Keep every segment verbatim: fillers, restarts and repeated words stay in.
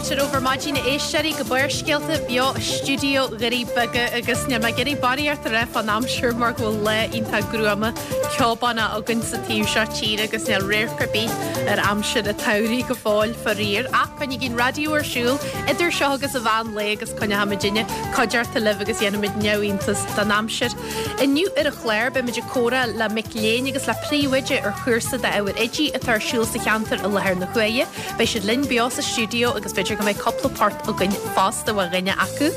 Fáilte romhaibh ar maidin a éisteoirí go Barrscéalta beo i stiúideo Dhoirí Beaga agus níl mé ag iarraidh barraíocht a rá fán aimsir mar go bhfuil lá iontach gruama ceobánach againn sa taobh seo tíre agus níl radharc ar bith ar aimsir an tsamhraidh go fóill faraor ach coinnígí an raidió ar siúl idir seo agus an mheán lae agus coinneoimidinne cuideachta libh agus dhéanfaimid neamhiontas den aimsir. Inniu ar an chlár beimid ag comhrá le mic léinn agus le príomhoide ar chúrsa d'ábhair oidí atá ar siúl sa cheantar i láthair na huaire. Beidh siad linn beo sa stiúideo agus b'fhéidir go mbeidh cúpla port againn fosta ó dhuine acu.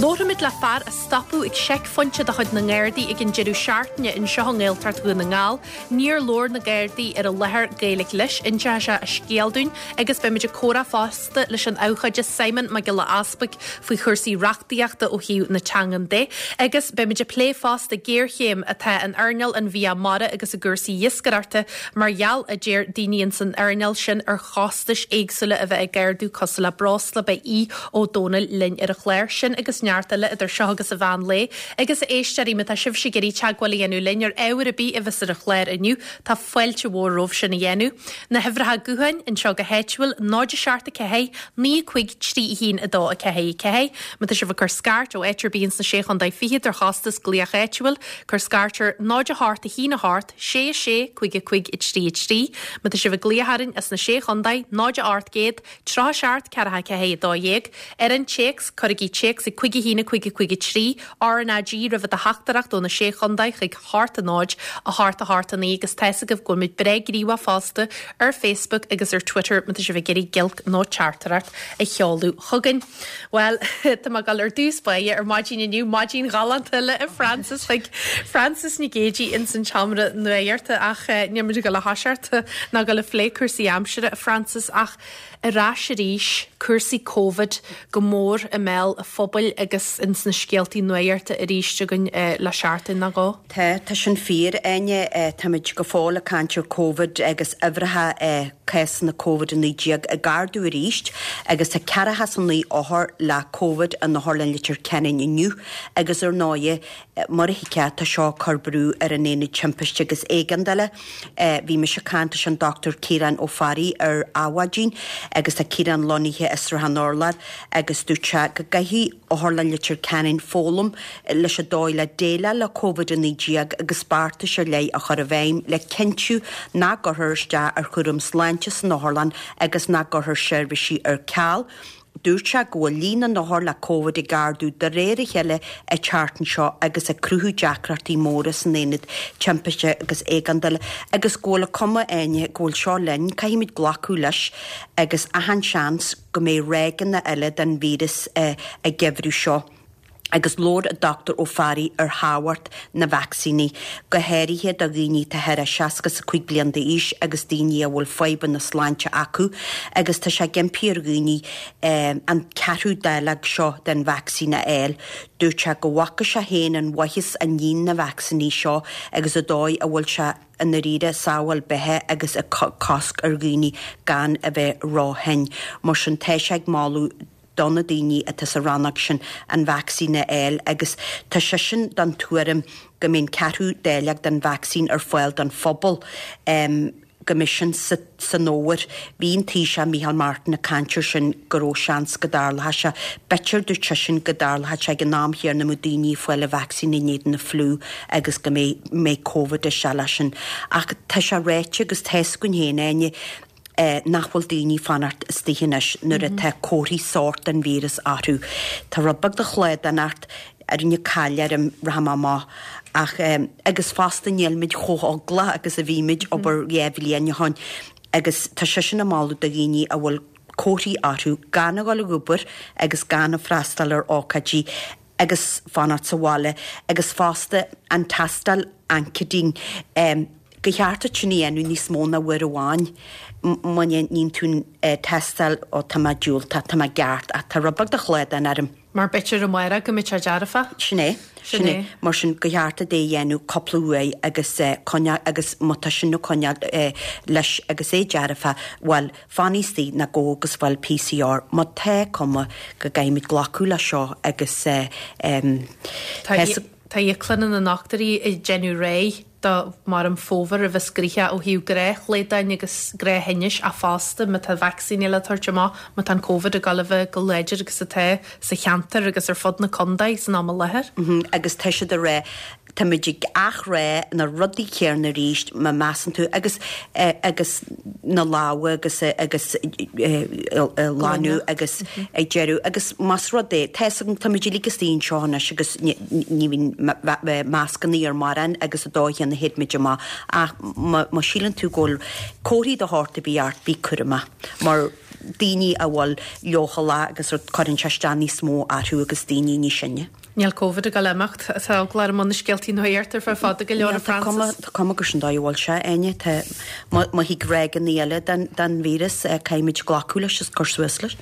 Labhróimid le fear a stopadh ag seicphointe de chuid na nGardaí ag an deireadh seachtaine anseo i nGaeltacht Dhún na nGall, Níor labhair na Gardaí ar an láthair Gaeilge leis inseoidh sé a scéal dúinn agus beimid ag comhrá fosta leis an abhcóide Simon Mac Giolla Easpaig faoi chúrsaí reachtaíochta ó thaobh na teangan de, agus beimid ag plé fosta géarchéim atá in earnáil an bhia mara agus i gcúrsaí iascaireachta mar gheall a deir daoine in san earnáil sin ar chostais éagsúla a bheith ag ardú cosúil le breosla beidh Aodh Ó Dónaill linn ar an chlár sin agus neart eile idir seo agus an mheán lae agus a éisteoirí má tá sibhse ag iarraidh teagmháil a dhéanamh linn ar ábhar ar bith a bheas ar an chlár inniu tá fáilte mhór romhaibh sin a dhéanamh. Na huimhreacha gutháin anseo go háitiúil náid seacht a ceathair naoi cúig trí haon a dó a ceathair a ceathair, Má tá sibh ag cur scairt ó áit ar bith sna sé chontae fichead ar chostas glaoch áitiúil, cuir scairt ar náid a hocht a haon a hocht sé a sé cúig a cúig a trí a trí, Má tá sibh ag glaoch orainn as na sé chontae náid a ocht gcéad tríocha seacht ceathracha ceathair a dó dhéag, ar an téacs cuirigí téacs ag cúig a haon a cúig a cúig a trí RnaG roimh do theachtaireacht ó na sé chontae chuig hocht a náid a hocht a hocht a naoi agus tá agaibh go bhfuil muid breá gníomhach fosta ar Facebook agus ar Twitter má tá sibh ag iarraidh giolc nó teachtaireacht a sheoladh chugainn. Well tá mé ag dul ar dtús báire ar maidin inniu maidin ghalánta le a Francis chuig Francis Nic Géadaigh in san tseomra nuachta ach níl muid ag dul a thoiseacht ná dul ag plé cúrsaí aimsire a Francis ach ar ais arís cúrsaí Covid go mór i mbéal an phobail agus in sna scéaltaí nuachta arís againn le seachtain nó dhó. Tá tá sin fíor Áine táimid go fóill ag caint ar Covid agus uimhreacha cásanna Covid a naoi déag ag ardú arís agus tá ceathracha is a naoi othar le Covid in Otharlann Leitir Ceanainn inniu agus ar ndóigh mar a thuigfeá tá seo ag cur brú ar an aonad timpiste agus éigeandála. Bhí mise ag caint leis an Dr Ciarán Ó Fearraigh ar Adhmhaidin agus tá Ciarán lonnaithe i Sruthán Urláir agus dúirt sé go gcaithfidh Otharlann Leitir Ceanainn foghlaim leis an dóigh le déileáil le Covid a naoi déag agus beartais ar leith a chur i bhfeidhm le cinntiú nach gcuirfear isteach ar chúram sláinte san otharlann agus nach gcuirfear seirbhísí ar ceal. Dúirt sé go bhfuil líon na n-othar le Covid ag ardú de réir a chéile an tseachtain seo agus ag cruthú deacrachtaí móra san aonad timpiste agus éigeandála agus go bhfuil an chuma Áine go bhfuil seo linn, caithfimid glacadh leis agus achan seans go mbeidh ráigeanna eile den víreas an geimhreadh seo. agus labhair an Dr Ó Fearraigh ar thábhacht na vacsaíní, go háirithe do dhaoine atá thar seasca is a cúig bliain d'aois agus daoine a bhfuil fadhbanna sláinte acu, agus tá sé ag impí ar dhaoine an ceathrú dáileog seo den vacsaín a fháil. Dúirt sé go bhfaca sé féin an mhaitheas a níonn na vacsaíní seo agus an dóigh a bhfuil sé i ndáiríre sábháil beatha agus ag cosc ar dhaoine gan a bheith róthinn. Mar sin tá sé ag moladh do na daoine atá sa rannóg sin an vacsaín a fháil agus tá seisean den tuairim go mbeidh an ceathrú dáileog den vacsaín ar fáil don phobal um, go mbeidh sin sa, san fhómhar. Bhí an Taoiseach Micheál Martin ag caint air sin go raibh seans go dtarlódh sé. B'fhéidir dúirt seisean go dtarlódh sé ag an am chéanna mbeadh daoine ag fáil an vacsaín in éadan na fliú agus go mbeidh mbeidh Covid isteach leis sin. Ach tá sé ráite agus tá a fhios againn féin Áine eh, nach bhfuil daoine fanacht istigh anois nuair atá comharthaí sórt den víreas orthu. Tá rud beag de shlaghdán ort rinne cail orm rachaidh mé amach ach um, agus fosta nílimid chomh heaglach agus a bhí muid abair dhá bhliain ó shin agus tá sé sin ag moladh do dhaoine a bhfuil comharthaí orthu gan a dhul ag obair agus gan a freastal ar ócáidí agus fanacht sa bhaile agus fosta an tástáil antigen um, go cheart sin a dhéanamh níos mó ná uair amháin má níonn tú tástáil ó tá mé diúltach tá mé ceart ach tá rud beag de shlaghdán orm. Mar b'fhéidir amárach go mbeidh sé dearfa? Sin é sin é mar sin go cheart é a dhéanamh cúpla uair agus coinneáil agus má tá sin ag coinneáil leis agus é dearfa bhuel fan istigh nó gabh agus faigh PCR má tá cuma go gcaithfimid glacadh le seo agus Tá íoclanna na ndochtúirí ag déanamh réidh do Mheán Fómhair a bheas gnoitheach ó thaobh gnáthshlaghdán agus gnáththinnis ach fosta má tá vacsaíní le tabhairt amach, má tá an Covid ag dul a bheith chomh láidir agus atá sa cheantar agus ar fud na contae san am i láthair. Agus tá siad ag rá, táimid ag athrá na rudaí céanna arís má measann tú agus agus na lámha agus agus glanadh agus ag deireadh agus más rud é tá táimid uilig istigh anseo anois agus ní bhíonn mascanna ar mórán agus an dóigh chéanna théid muid amach ach má síleann tú go bhfuil comharthaí de shórt ar bith ort bí cúramach mar daoine a bhfuil leochaileach agus cuireann sé isteach níos mó orthu agus daoine níos sine. Níl Covid ag dul a imeacht, tá eagla orm na scéaltaí nuachta ar feadh fada go leor a Frances. Tá cuma gur sin dóigh a bhfuil sé, Áine, tá má thig ráigeanna eile den den víreas caithfimid glacadh leis is cur suas leis.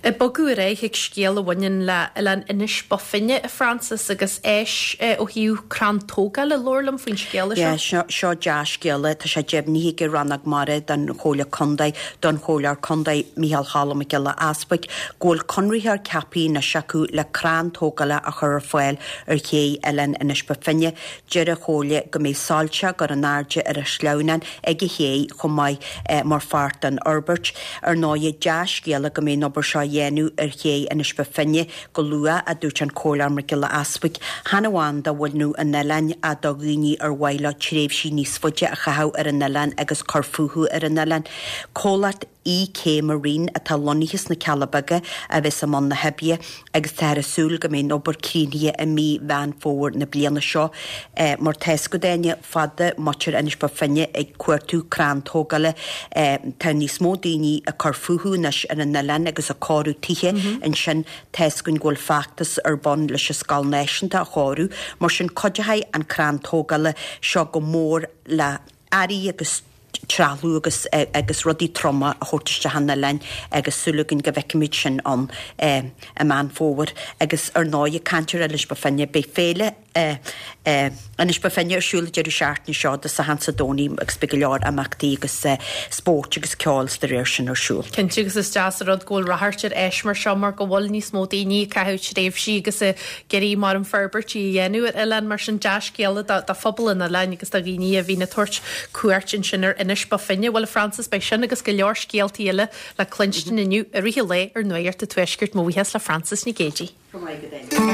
Ag bogadh ar aghaidh chuig scéal a bhaineann le Oileán Inis Bó Finne a Frances agus áis ó thaobh crann tógála, labhair liom faoin scéala seo. Yeah, seo seo dea-scéala, tá sé deimhnithe ag Rannóg Mara den Chomhairle Contae don Chomhairleoir Contae Micheál Cholm Mac Giolla Easbuig go bhfuil conraitheoir ceaptha anois acu le crann tógála a chur ar fáil ar ché Oileán Inis Bó Finne. Deir an Chomhairle go mbeidh soilse á gcur in airde ar an sleamhnán ag an ché chomh maith mar pháirt den fhorbairt. Ar ndóigh, dea-scéala go mbeidh an obair seo á dhéanamh ar ché Inis Bó Finne go luath, a dúirt an Comhairleoir Mac Giolla Easbuig. Chan amháin do bhunadh an oileáin ach do dhaoine ar mhaith leo tréimhsí níos faide a chaitheamh ar an oileán agus cur fúthu ar an oileán. Comhlacht EK Marine atá lonnaithe sna Cealla Beaga a bheas i mbun na hoibre agus táthar ag súil go mbeidh an obair críochnaithe i mí Mheán Fómhair na bliana seo. Mar tá 'fhios agat Áine, fada muintir Inis Bó Finne ag cuartú crann tógála. Tá níos mó daoine ag cur fúthu anois ar an oileán agus ag cóiriú tithe ansin. Tá 'fhios againn go bhfuil feachtas ar bun leis an Scoil Náisiúnta a chóiriú. Mar sin cuideoidh an crann tógála seo go mór le earraí agus trealamh agus agus rudaí troma a thabhairt isteach an oileáin agus súil againn go bhfeicfimid sin ann i Meán Fómhair. Agus ar ndóigh, ag caint ar Inis Bó Finne, beidh féile Inis Bó Finne ar siúl an deireadh seachtaine seo i dtosach ins an Domhnach agus beidh go leor imeachtaí agus spóirt agus ceol is dá réir sin ar siúl. Cinnte agus is deas an rud go bhfuil ráchairt ar áis mar seo mar go bhfuil níos mó daoine ag caitheamh tréimhsí agus ag iarraidh mar an forbairtí a dhéanamh ar oileán mar sin dea-scéala do phobal an oileáin agus do dhaoine a bhíonn ag tabhairt cuairt ansin ar Inis Bó Finne. Bhuel a Frances beidh sin agus go leor scéaltaí eile le cluinstin inniu i rith an lae ar Nuacht an Tuaiscirt. Mo bhuíochas le Frances Nic Géadaigh. Go maith go deimhin.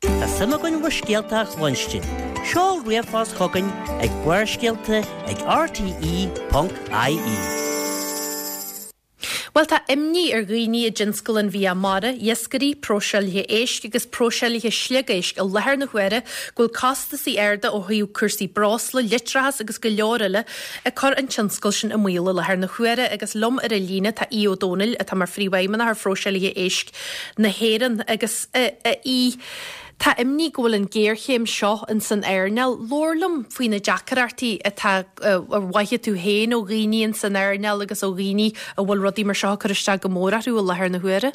Tá suim againn bhur scéalta a chluinstin. Seol ríomhphost chugainn ag barrscéalta ag rte ponc ie. Bhuel tá imní ar dhaoine i dtionscal an bhia mara, iascairí, próiseálaithe éisc agus próiseálaithe sliogéisc i láthair na huaire go bhfuil costasaí arda ó thaobh cúrsaí breosla, leictreachas agus go leor eile ag cur an tionscal sin i mbaol i láthair na huaire agus liom ar an líne tá Aodh Ó Domhnaill atá mar phríomhfheidhmeannach ar phróiseálaithe éisc na hÉireann agus a Aoidh Tá imní go bhfuil an géarchéim seo in san earnáil. Labhair liom faoi na deacrachtaí atá a mhothaigh tú féin ó dhaoine in san earnáil agus ó dhaoine a bhfuil rudaí mar seo ag cur isteach go mór orthu i láthair na huaire.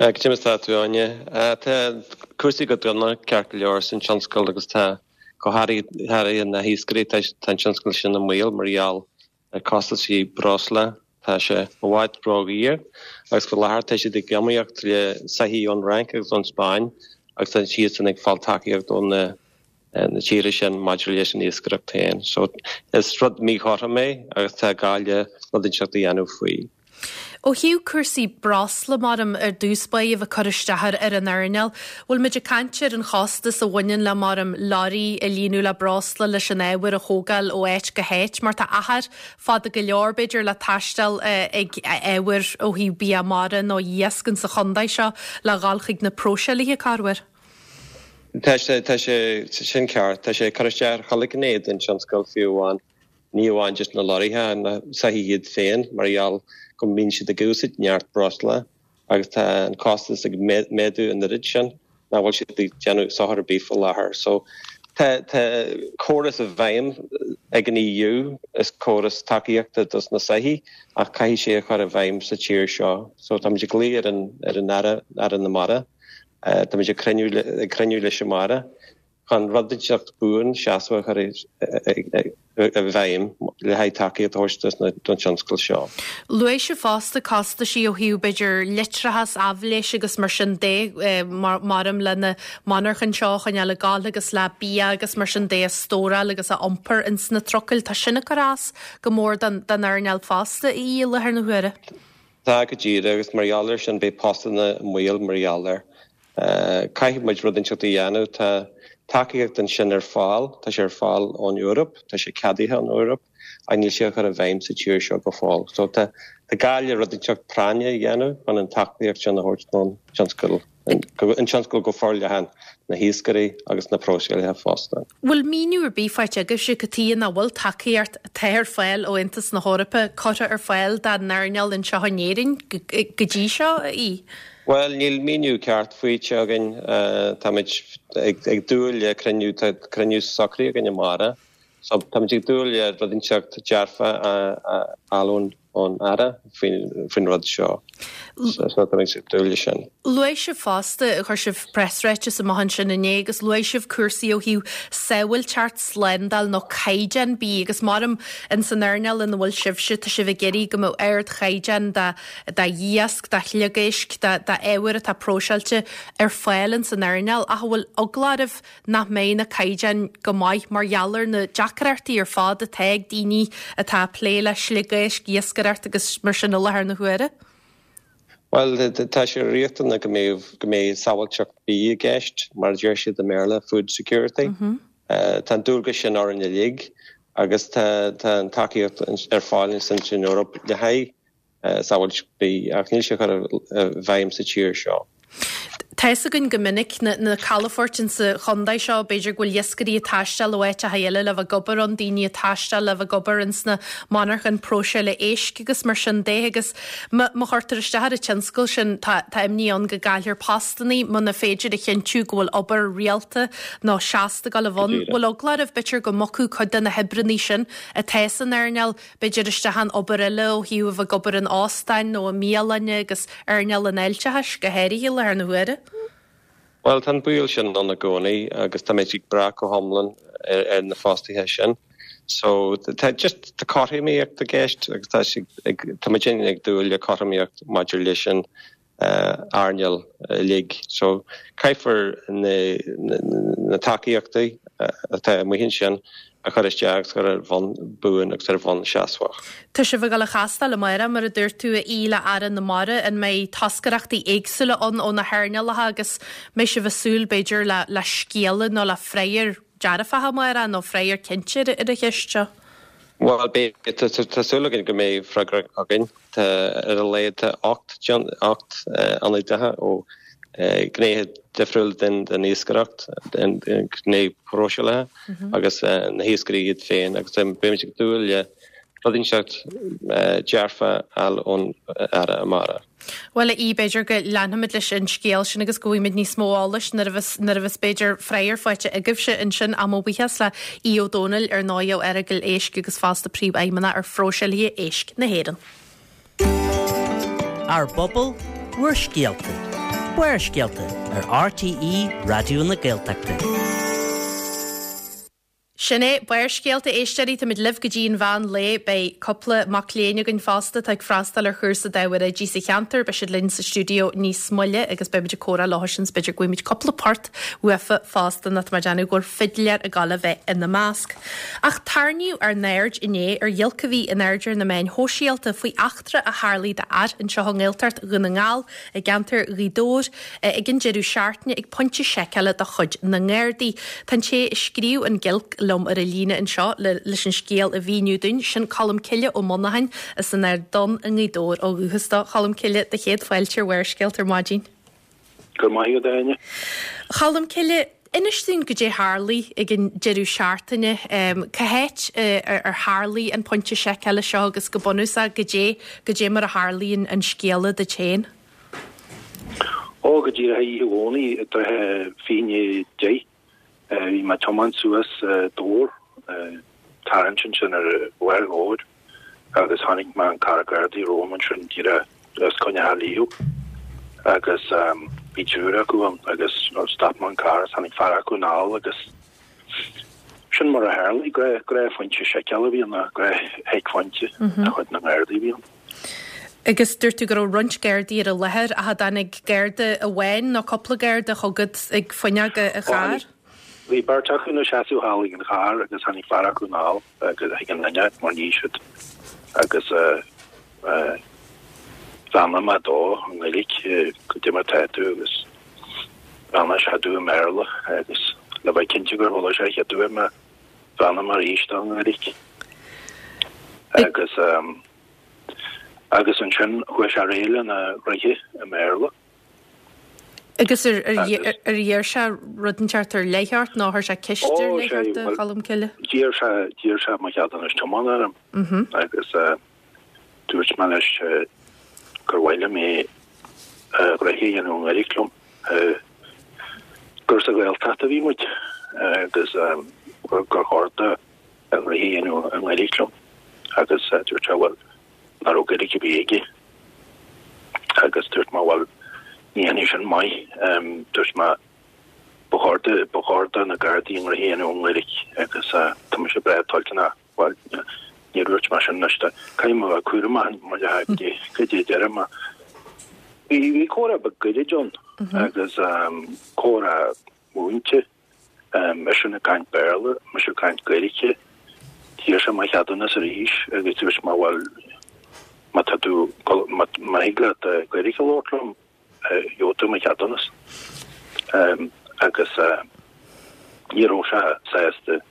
Cad é mar atá tú Áine. Tá cúrsaí go dona ceart go leor san tionscal agus tá go háirithe na hiascairí tá an tionscal sin i mbaol mar gheall ar costaisí breosla. Tá sé i bhfad ródhaor agus faoi láthair tá siad ag iomaíocht le soithí ón Fhrainc agus ón Spáinn agus tá siadsan ag fáil tacaíocht ó na na tíortha sin maidir leis an iascaireacht féin. So is rud míchothrom é agus tá gá le rud inteacht a dhéanamh faoi. Ó thaobh cúrsaí breosla mar ar dtús báire a bheith cur isteach ar ar an earnáil, bhfuil muid ag caint ar an chostas a bhaineann le mar leoraí a líonadh le breosla leis an ábhar a thógáil ó áit go háit, mar tá achar fada go leor b'fhéidir le taisteal ag ábhar ó thaobh bia mara nó iasc sa chontae seo le dhul chuig na próiseálaithe corruair. Tá sé tá sé sin ceart, tá sé ag cur isteach ar chuile ghné den tionscal fiú amháin. Ní amháin just na lorraithe na soithí iad féin mar gheall go mbíonn siad ag úsáid neart breosla agus tá an costas ag méadú an oiread sin nach bhfuil siad ag déanamh sochar ar bith faoi láthair. So tá tá córas i bhfeidhm ag an EU is córas tacaíochta dos na soithí ach caithfidh sé a chur i bhfeidhm sa tír seo. So táimid ag glaoch ar an ar an Aire Aire na Mara. Táimid ag cruinniú ag cruinniú leis an Aire. chun rud inteacht buan seasmhach a chur i bhfeidhm le haghaidh tacaíocht a thabhairt don tionscal seo. Luaigh sibh fosta costaisí ó thaobh b'fhéidir leictreachas, aibhléis agus mar sin de, maram le na monarchain seo a choinneáil ag gabháil agus le bia agus mar sin de a stóráil agus a iompar ins na trucail. Tá sin ag cur as go mór don earnáil fosta i láthair na huaire. Tá go díreach agus mar gheall air sin beidh postanna i mbaol mar gheall air. Caithfidh muid rud inteacht a dhéanamh. Tá tacaíocht ansin ar fáil, tá sé ar fáil ón Eoraip, tá sé ceadaithe ón Eoraip, ach níl sé á chur i bhfeidhm sa tír seo go fóill. So tá gá le rud inteacht práinne a dhéanamh chun an tacaíocht sin a thabhairt don tionscal, an tionscal go forleathan, na hiascairí agus na próiseálaithe fosta. Bhfuil míniú ar bith faighte agaibhse cad chuige nach bhfuil tacaíocht atá ar fáil ó Aontas na hEorpa curtha ar fáil dár n-earnáil anseo in Éirinn go dtí seo, a Aoidh? Bhuel, níl míniú ceart faighte againn. Táimid ag dúil le cruinniú, tá cruinniú socraithe againn amárach, so táimid ag dúil le rud inteacht dearfa a fháil ón Aire faoin rud seo. So táimid ag dúil leis sin. Luaigh sibh fosta, chuir sibh preasráiteas amach ansin inné agus luaigh sibh cúrsaí ó thaobh sábháilteacht, slándáil nó caighdeán bídh agus maram in san earnáil ina bhfuil sibhse, tá sibh ag iarraidh go mbeadh ardchaighdeán d'iasc, de shliogáisc, d'ábhar atá próiseáilte ar fáil in san earnáil ach an bhfuil eagla oraibh nach mbeidh na caighdeáin go maith mar gheall ar na deacrachtaí ar fad atá ag daoine atá ag plé le sliogáisc, iascaireacht agus mar sin i láthair na huaire? Bhuel, tá sé riachtanach go mbeidh go mbeidh sábháilteacht bídh i gceist, mar a deir siad i mBéarla, food security. Tá an dualgas sin orainn uilig agus tá tá an tacaíocht ar fáil ansin san Eoraip le haghaidh sábháilteacht bídh ach níl sé curtha i bhfeidhm sa tír seo. Tá fhios againn go minic na na calafoirt insa chontae seo, b'fhéidir go bhfuil iascairí ag taisteal ó áiteacha eile le bheith ag obair ann, daoine ag taisteal le bheith ag obair ins na monarchain próiseála éisc agus mar sin de agus má má chuirtear isteach ar an tionscal sin tá tá imní ann go gcaillfear postannaí muna féidir a chinntiú go bhfuil obair rialta nó seasta ag dul a bheith ann. Bhfuil eagla oraibh b'fhéidir go mbogfaidh cuid de na hoibreannaí sin atá san earnáil b'fhéidir isteach in obair eile ó thaobh a bheith ag obair in óstáin nó i mbialanna agus earnáil an fháilteachais go háirithe i láthair na huaire? Bhuel, tá an baol sin ann i gcónaí agus táimid ag brath go hiomlán ar, ar na fostaithe sin. So tá just tá cothromaíocht i gceist agus tá sé ag tá muid ag dúil le cothromaíocht maidir leis an earnáil uilig. So caithfear na, na, na tacaíochtaí atá amuigh ansin a chur isteach agus a chur ar bhonn buan agus ar bhonn seasmhach. Tá sibh ag dul a chastáil amárach, mar a dúirt tú, a Aoidh, le Aire na Mara. An mbeidh toscaireachtaí éagsúla ann ó na hearnálacha agus mbeidh sibh ag súil, b'fhéidir, le le scéala nó le freagra dearfach amárach nó freagra cinnte ar an cheist seo? Bhuel, beidh, tá súil againn go mbeidh freagra againn. Tá ar a laghad tá ocht ocht ionadaithe ó ghnéithe difriúla den den iascaireacht, den ghné próiseálaithe agus na hiascairí iad féin agus beimid ag dúil le rud inteacht dearfa a fháil ón Aire amárach. Bhuel, a Aoidh, b'fhéidir go leanfaimid leis an scéal sin agus go bhfaighimid níos mó eolais nuair a bheas, nuair a bheas b'fhéidir freagra faighte agaibhse ansin. Ach mo bhuíochas le Aodh Ó Domhnaill, ar ndóigh, ó Earagail Éisc agus fosta Príomhfheidhmeannach ar Phróiseálaithe Éisc na hÉireann. Ár bpobal, bhur scéalta. Barrscéalta ar RTÉ Raidió na Gaeltachta. Sin é Barrscéalta, a éisteoirí, táimid libh go dtí an mheán lae. Beidh cúpla mac léinn againn fosta atá ag freastal ar chúrsa d'ábhair oidí sa cheantar. Beidh siad linn sa stiúideo níos moille agus beimid ag comhrá leo sin. B'fhéidir go bhfaighimid cúpla port uafa fosta nó tá mé ag déanamh go bhfuil fidléir ag dul a bheith ina measc. Ach tarraingíodh ár n-aird inné ar ghiolc a bhí in airde ar na meáin shóisialta faoi eachtra a tharlaigh d'fhear anseo i nGaeltacht Dhún na nGall i gceantar Ghaoth Dobhair ag an deireadh seachtaine ag pointe seiceála de chuid na nGardaí. Tá an té a scríobh an ghiolc liom ar an líne anseo le leis an scéal a mhíniú dúinn, sin Colm Cille Ó Monacháin as an Ard Donn i nGaoth Dobhair ó dhúchas dó. Cholm Cille, do chéad fáilte ar Bharrscéalta ar maidin. Go raibh maith agat, a Áine. Cholm Cille, inis dúinn goidé tharlaigh ag an deireadh seachtaine. Cá háit ar tharlaigh an pointe seiceála seo agus go bunúsach goidé, goidé mar a tharlaigh an scéala duit féin? Ó, go díreach oíche Dhomhnaigh i dtrátha fiche i ndiaidh a deich, bhí mé ag tiomáint suas Dobhar, tarraingt ansin ar bharr Dhobhair agus chonaic mé an carr Gardaí romham ansin díreach os coinne Theach Liam agus Bhí triúr acu ann agus stop mé an carr is tháinig fear acu anall agus sin mar a tharla, gnáthphointe seiceála a bhí ann, gnáth-sheicphointe de chuid na nGardaí a bhí ann. Agus dúirt tú go raibh roinnt Gardaí ar an láthair ach an dtáinig Garda amháin nó cúpla Garda chugat ag fuinneog an chairr? Bhí beirt acu ina seasamh thall ag an charr agus tháinig fear acu anall chuig an fhuinneog mar ní siad agus bheannaigh mé dó i nGaeilge goidé mar tá tú agus bheannaigh sé domh i mBéarla agus le bheith cinnte gur chuala sé an chéad uair mé bheannaigh mé arís dó i nGaeilge. Agus agus ansin chuaigh sé ar aghaidh lena ghnoithe i mBéarla. Agus ar ar iarr sé rud inteacht ar leith ort nó chuir sé ceist ar leith ort a Cholmcille? D'iarr sé d'iarr sé mo cheadúnas tiomána orm agus dúirt mé leis gur mhaith liom é a ghnoithe a dhéanamh i nGaeilge liom, gur sa Ghaeltacht a bhí muid agus gur chóir dó a ghnoithe a dhéanamh i nGaeilge liom agus dúirt sé bhuel nach raibh Gaeilge ar bith aige agus dúirt mé bhuel ní dhéanfaidh sin maith, dúirt mé ba chóir do ba chóir do na Gardaí a ngnoithe a dhéanamh i nGaeilge agus tá mise breá toilteanach bhuel níor dhúirt mé sin anois caithfidh mé a bheith cúramach mar goidé goidé a deirim mé. Bhí bhí comhrá beag gairid ann agus comhrá múinte, eisean ag caint Béarla, mise ag caint Gaeilge. D'iarr sé mo cheadúnas arís agus dúirt mé bhuel má tá tú má thig leat Gaeilge a labhairt liom gheobhaidh tú mo cheadúnas. Agus ní raibh sé sásta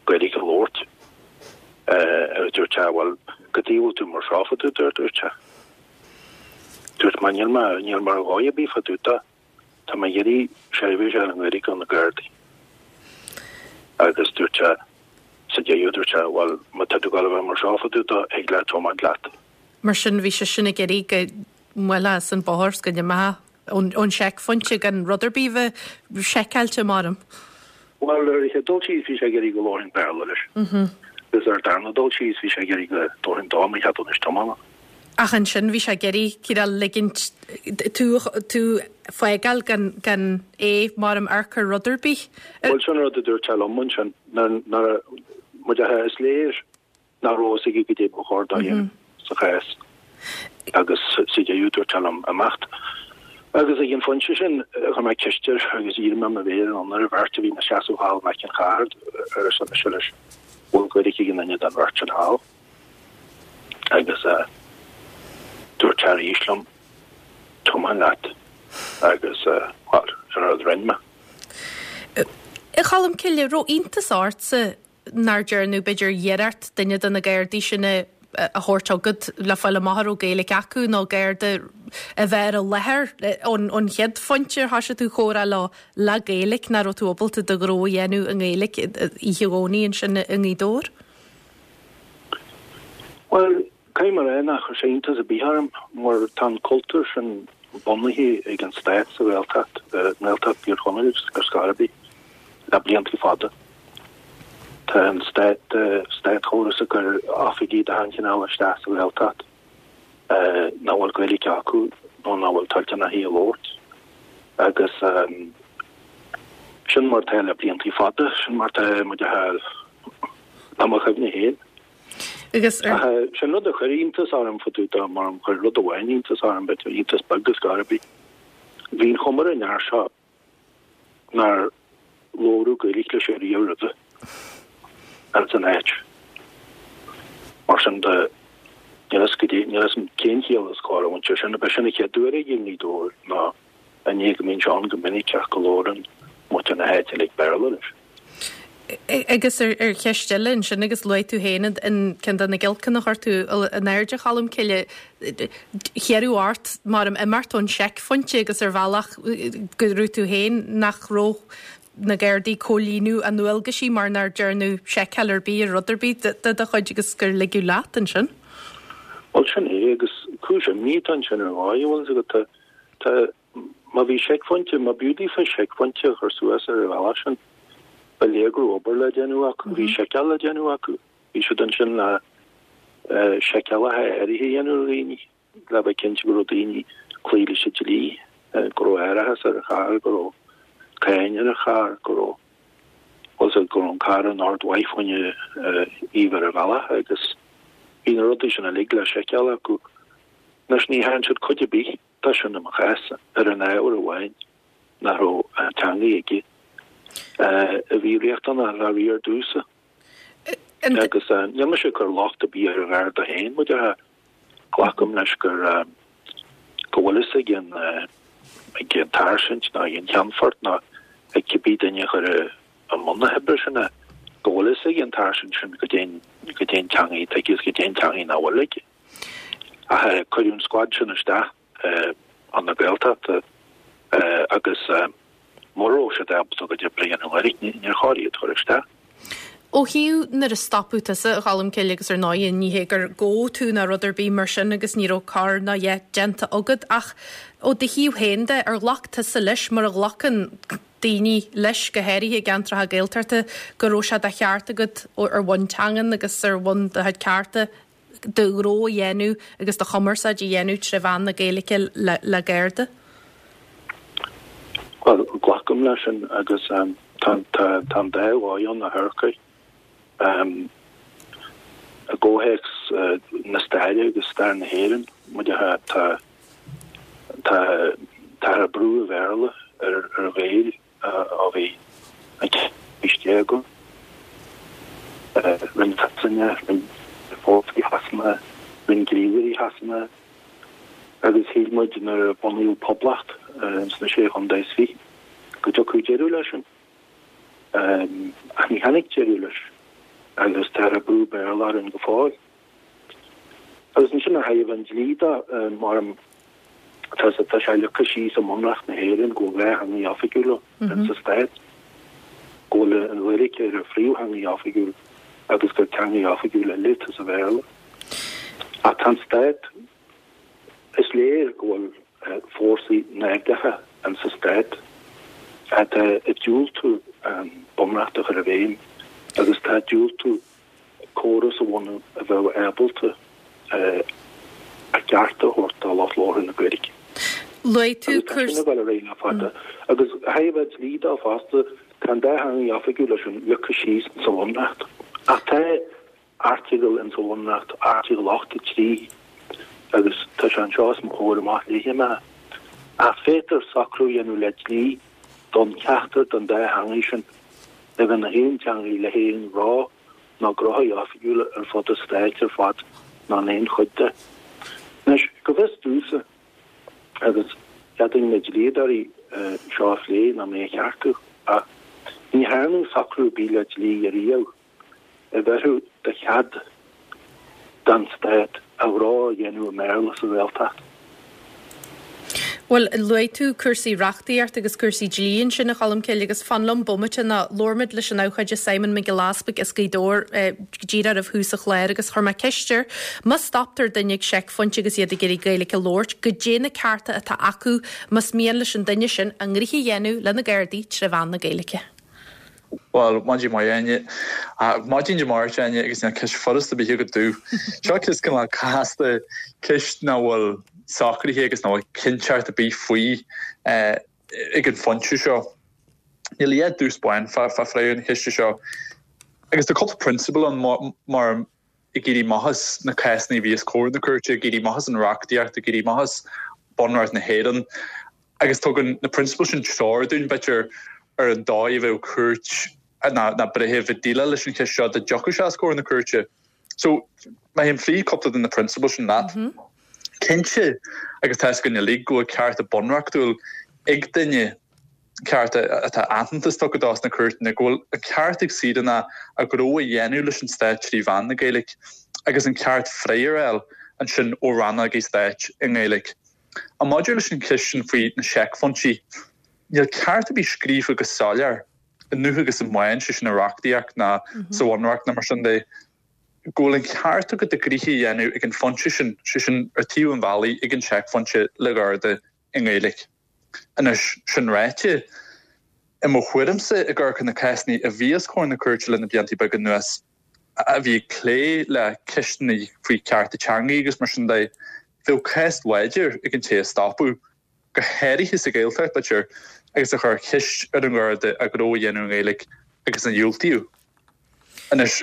Gaeilge a labhairt. Agus dúirt sé bhuel cad chuige a bhfuil tú mar seo fá dtaobh de a dúirt sé. Dúirt mé níl mé níl mé ar dhóigh ar bith fá dtaobh de. Tá mé ag iarraidh seirbhís a fháil i nGaeilge ó na Gardaí. Agus dúirt sé sa deireadh dúirt sé bhuel má tá tú ag gabháil a bheith mar seo fá dtaobh de thig leat tiomáint leat. Mar sin bhí sé sin ag iarraidh go mbuailfeá as an bóthar 's go n-imeofá ón seicphointe gan rud ar bith a bheith seiceáilte maram. Bhuel ar an chéad dul síos bhí sé ag iarraidh go labharfainn Béarla leis. Agus ar an darna dul síos bhí sé ag iarraidh go dtabharfainn dó mo cheadúnas tiomána. Ach ansin bhí sé ag iarraidh cineál ligint tú tú fágáil gan gan é maram amharc ar rud ar bith. Bhuel sin rud a dúirt sé liom ansin nuair nuair muid a is léir nach raibh a fhios aige goidé ba chóir dó a dhéanamh sa chás agus sa deireadh dúirt sé liom imeacht. Agus ag an phointe sin chuir mé ceist air agus dhírigh mé mo mhéar anonn ar an bheirt a bhí ina seasamh thall in aice an chairr arsa mise leis, bhfuil Gaeilge ag aon duine den bheirt sin thall? Agus dúirt sé arís liom, tiomáin leat agus bhuel, sin an rud a rinne mé. A Cholmcille, raibh iontas ortsa nár dearnadh b'fhéidir iarracht duine de na Gardaí sin a thabhairt chugat le fáil amach an raibh Gaeilge acu nó Garda a bheith ar an láthair ón chéad phointe ar thosaigh tú comhrá leo le Gaeilge, nach raibh tú ábalta do ghnó a dhéanamh i nGaeilge oíche Dhomhnaigh ansin i nGaoth Dobhair? Bhuel, caithfidh mé a rá nach chuir sé iontas ar bith orm mar tá an cultúr sin bunaithe ag an stát sa Ghaeltacht, i nGaeltacht Thír Chonaill ar scor ar bith, le blianta fada. Tá an stát, státchóras ag cur oifigigh de achan chineál isteach sa Ghaeltacht nach bhfuil Gaeilge acu nó nach bhfuil toilteanach í a labhairt agus sin mar atá le blianta fada, sin mar atá muid a fháil le mo chuimhne féin. Agus ar. Ach sin rud a chuir iontas orm fá dtaobh de, mar chuir rud amháin iontas orm, b'fhéidir iontas beag ar scor ar bith. Bhí an chuma ar an fhear seo nár labhradh Gaeilge leis ariamh roimhe ins an áit. Mar sin de, níl fhios goidé, níl fhios a'm cén chiall is cóir a bhaint as sin, ab é sin an chéad uair aige i nGaoth Dobhair nó i ndiaidh go mbíonn sé ann go minic ach go labhrann muintir na háite uilig Béarla leis. Agus ar cheist eile ansin, agus luaigh tú féin an ceann de na giolcanna a chuir tú in airde, a Cholmcille, hiarradh ort mar imeacht ón seicphointe agus ar bhealach go raibh tú féin nach raibh na Gardaí ag comhlíonadh a ndualgaisí mar nár dearnadh seiceáil ar bith ar rud ar bith de do chuid agus gur ligeadh leat ansin. Bhuel, sin é agus cúis imní atá ansin ar ndóigh, bhfuil fhios agat, tá, Má bhí seicphointe, má b'fhiú daofa seicphointe a chur suas ar an bhealach sin, ba léir go raibh obair le déanamh acu, bhí seiceáil le déanamh acu. Bhí siad ansin le seiceálacha áirithe a dhéanamh ar dhaoine, le bheith cinnte go raibh daoine ag cloí leis an dlí. go raibh árachas ar an charr, go raibh cáin ar an charr, go raibh, bhfuil fhios agat, go raibh an carr in ord mhaith fá choinne iamh ar an bhealach agus bhí na rudaí sin uilig le seiceáil acu. Anois ní thearn siad cuid ar bith de sin i mo chás ar an ábhar amháin nach raibh an teangaidh aige a bhí riachtanach le riar domhsa. Agus níl mise ag cur locht ar bith ar an Gharda féin, mar a déarfá, glacaim leis gur go bhfuil fhios ag an ag an tsáirsint nó ag an cheannfort nó ag cibé duine a chuir i mbun na hoibre sin é, go bhfuil fhios ag an tsáirsint sin goidé goidé an teangaidh atá aige agus goidé an teangaidh nach bhfuil aige. Ach cuireadh an scuad sin isteach chun na Gaeltachta agus mura raibh siad ábalta a gcuid oibre a dhéanamh i nGaeilge, níor chóir iad a chur isteach. Ó thaobh nuair a stopadh tusa, a Cholmcille, agus ar ndóigh ní hé gur gabhadh tú ná rud ar bith mar sin agus ní raibh coir ná a dhath déanta agat ach ó do thaobh féin de, ar ghlac tusa leis, mar a ghlacann daoine leis, go háirithe i gceantracha Gaeltachta, go raibh sé de cheart agat ar bhonn teangan agus ar bhonn do chuid cearta do ghnó a dhéanamh agus do chumarsáid a dhéanamh tré mheán na Gaeilge le Garda? Bhuel, glacaim leis sin agus tá an dá dhóigh ann a Shorcha. I gcomhthéacs na staire agus stair na hÉireann, mar a déarfá, tá tá tá brú an Bhéarla ar ar Ghaeil ó bhí an ceathrú haois déag ann. Rinne Sasana, rinne fórsaí Shasana, rinne gníomhairí Shasana agus shíl muid nuair a bunaíodh Poblacht sna Sé Chontae is Fiche go dtiocfadh deireadh leis sin. Ach ní tháinig deireadh leis agus tá brú Béarla orainn go fóill. Agus ansin ó thaobh an dlí de, mar tá tá sé leagtha síos i mBunreacht na hÉireann go bhfuil dhá theangaidh oifigiúla sa stát, go bhfuil an Ghaeilge ar an phríomhtheangaidh oifigiúil agus gur teangaidh oifigiúil eile atá sa Bhéarla. Ach tá an stát, is léir go bhfuil fórsaí naimhdeacha in sa stát atá ag diúltú an Bunreacht a chur i bhfeidhm agus atá ag diúltú córas a bhunú a bheadh ábalta a gcearta a thabhairt do lucht labhartha na Gaeilge. Luaigh tú Agus tá sin ag dul ar aghaidh le fada. Agus ó thaobh an dlí de fosta, tá an dá theangaidh oifigiúil sin leagtha síos sa Bhunreacht. Ach tá airteagal in sa Bhunreacht, Airteagal ochtó a trí, agus tá sé anseo os mo chomhair amach, léifidh mé é, ach féadtar socrú a dhéanamh le dlí d'fhonn ceachtar den dá theangaidh sin a bheith ina haon teangaidh le haon ghnó nó gnóthaí oifigiúla ar fud an stáit ar fad nó in aon chuid de. Anois, go bhfios domhsa, agus d'fhéadfainn na dlíodóirí seo a phlé nó mé a cheartú, ach ní thearnadh socrú ar bith le dlí ariamh a bhéarfadh de chead don stát a ghnó a dhéanamh i mBéarla sa Ghaeltacht. Bhuel, luaigh tú cúrsaí reachtaíochta agus cúrsaí dlí ansin, a Cholmcille, agus fan liom bomaite nó labhair muid leis an abhcóide Simon Mac Giolla Easpaig as Gaoth Dobhair go díreach roimh thús an chláir agus chuir mé ceist air, má stoptar duine ag seicphointe agus iad ag iarraidh Gaeilge a labhairt, goidé na cearta atá acu más mian leis an duine sin a ngnoithe a dhéanamh le na Gardaí tré mheán na Gaeilge? Bhuel, maidin mhaith Áine. Maidin Dé Máirt Áine agus níl ceist furasta ar bith agat domh. Seo ceist cineál casta, ceist nach bhfuil socraithe agus nach bhfuil cinnteacht ar bith faoi ag an phointe seo. Níl a dhath dubh 's bán fá freagra na ceiste seo. Agus tá cúpla prionsabal ann mar ag éirí amach as na cásanna a bhí os comhair na cúirte, ag éirí amach as an reachtaíocht, ag éirí amach as Bunreacht na hÉireann. Agus tugann na prionsabail sin treoir dúinn, b'fhéidir, ar an dóigh a bheadh cúirt ná breitheamh ag déileáil leis an cheist seo dá dtiocfadh sé os comhair na cúirte. So, má théim fríd cúpla de na prionsabail sin leat, cinnte, agus tá a fhios againn uilig go bhfuil cearta bunreachtúil ag duine, cearta atá aitheantas tugtha dó sna cúirteanna, go bhfuil an ceart ag saoránach a ghnó a dhéanamh leis an stát trí mheán na Gaeilge agus an ceart freagra a fháil ansin ó rannógaí stáit i nGaeilge. Ach maidir leis an cheist sin faoi na seicphointí, níl ceart ar bith scríofa go soiléir i ndubh agus i mbán, sé sin i reachtaíocht ná sa Bhunreacht ná mar sin de, go bhfuil an ceart agat do ghnoithe a dhéanamh ag an phointe sin, sé sin ar taobh an bhealaigh ag an seicphointe le Garda i nGaeilge. Anois, sin ráite, i mo thuairimse, ag amharc ar na cásanna a bhí os comhair na cúirte le na blianta beaga anuas, a bhí ag plé le ceisteanna faoi chearta teanga agus mar sin de, bheadh cás láidir ag an té a stopadh go háirithe sa Ghaeltacht, b'fhéidir, agus a chuir ceist ar an nGarda a ghnó a dhéanamh i nGaeilge agus a dhiúltaíodh. Anois,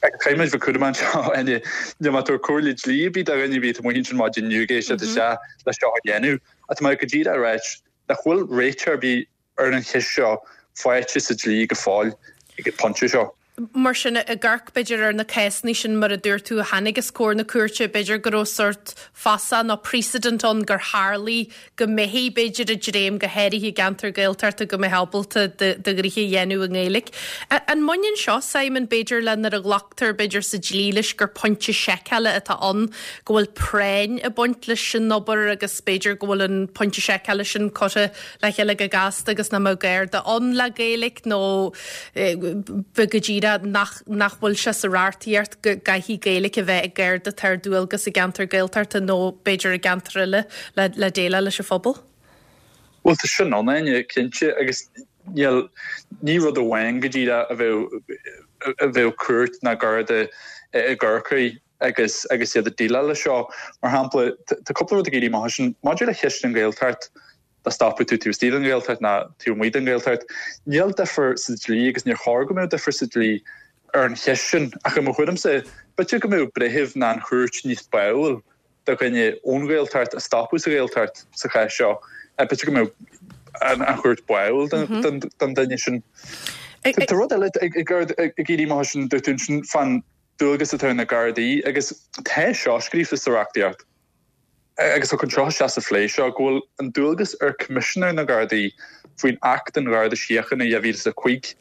caithfidh muid bheith cúramach anseo, Áine, níl mé ag tabhairt comhairle dlí ar bith do dhuine ar bith atá amuigh ansin maidin inniu ag éisteacht isteach le seo a dhéanamh, ach tá mé go díreach ag ráit nach bhfuil réiteach ar bith ar an cheist seo faighte sa dlí go fóill ag an bpointe seo. Mar sin, ag amharc, b'fhéidir, ar na cásanna sin, mar a dúirt tú, a tháinig os comhair na cúirte, b'fhéidir go raibh sórt fasach nó precedent ann gur tharlaigh go mbeifí, b'fhéidir, ag dréim, go háirithe i gceantar Gaeltachta, go mbeifeá ábalta do ghnoithe a dhéanamh i nGaeilge. An mbaineann seo, Simon, b'fhéidir, le nuair a ghlactar, b'fhéidir, sa dlí leis gur pointe seiceála atá ann, go bhfuil práinn ag baint leis an obair agus b'fhéidir go bhfuil an pointe seiceála sin curtha le chéile go gasta agus nach mbeadh Garda ann le Gaeilge nó go díreach nach nach bhfuil sé sa reachtaíocht go gcaithfidh Gaeilge a bheith ag Garda atá ar dualgas i gceantar Gaeltachta nó b'fhéidir i gceantar eile le le déileáil leis an phobal? Bhuel tá sin ann, Áine, cinnte agus níl ní rud amháin go díreach a bheadh a bheadh cúirt ná Garda i gCorcaigh agus agus iad ag déileáil leis seo. Mar shampla, tá cúpla rud ag éirí amach ansin maidir le ceist an Ghaeltacht, dá stopfadh tú taobh istigh den Ghaeltacht ná taobh amuigh den Ghaeltacht. Níl difear sa dlí agus níor chóir go mbeadh difear sa dlí ar an cheist sin ach i mo thuairimse, b'fhéidir go mbeadh breitheamh ná an chúirt níos báúil do dhuine ón Ghaeltacht a stopadh sa Ghaeltacht sa chás seo. B'fhéidir go mbeadh an chúirt báúil don duine sin. Tá rud eile ag éirí amach ansin, dúirt tú ansin fán dualgas atá ar na Gardaí agus tá seo scríofa sa reachtaíocht. Agus tá seo isteach sa phlé seo, go bhfuil an dualgas ar Choimisinéir na Gardaí faoin Acht den Gharda Síochána dhá mhíle is a cúig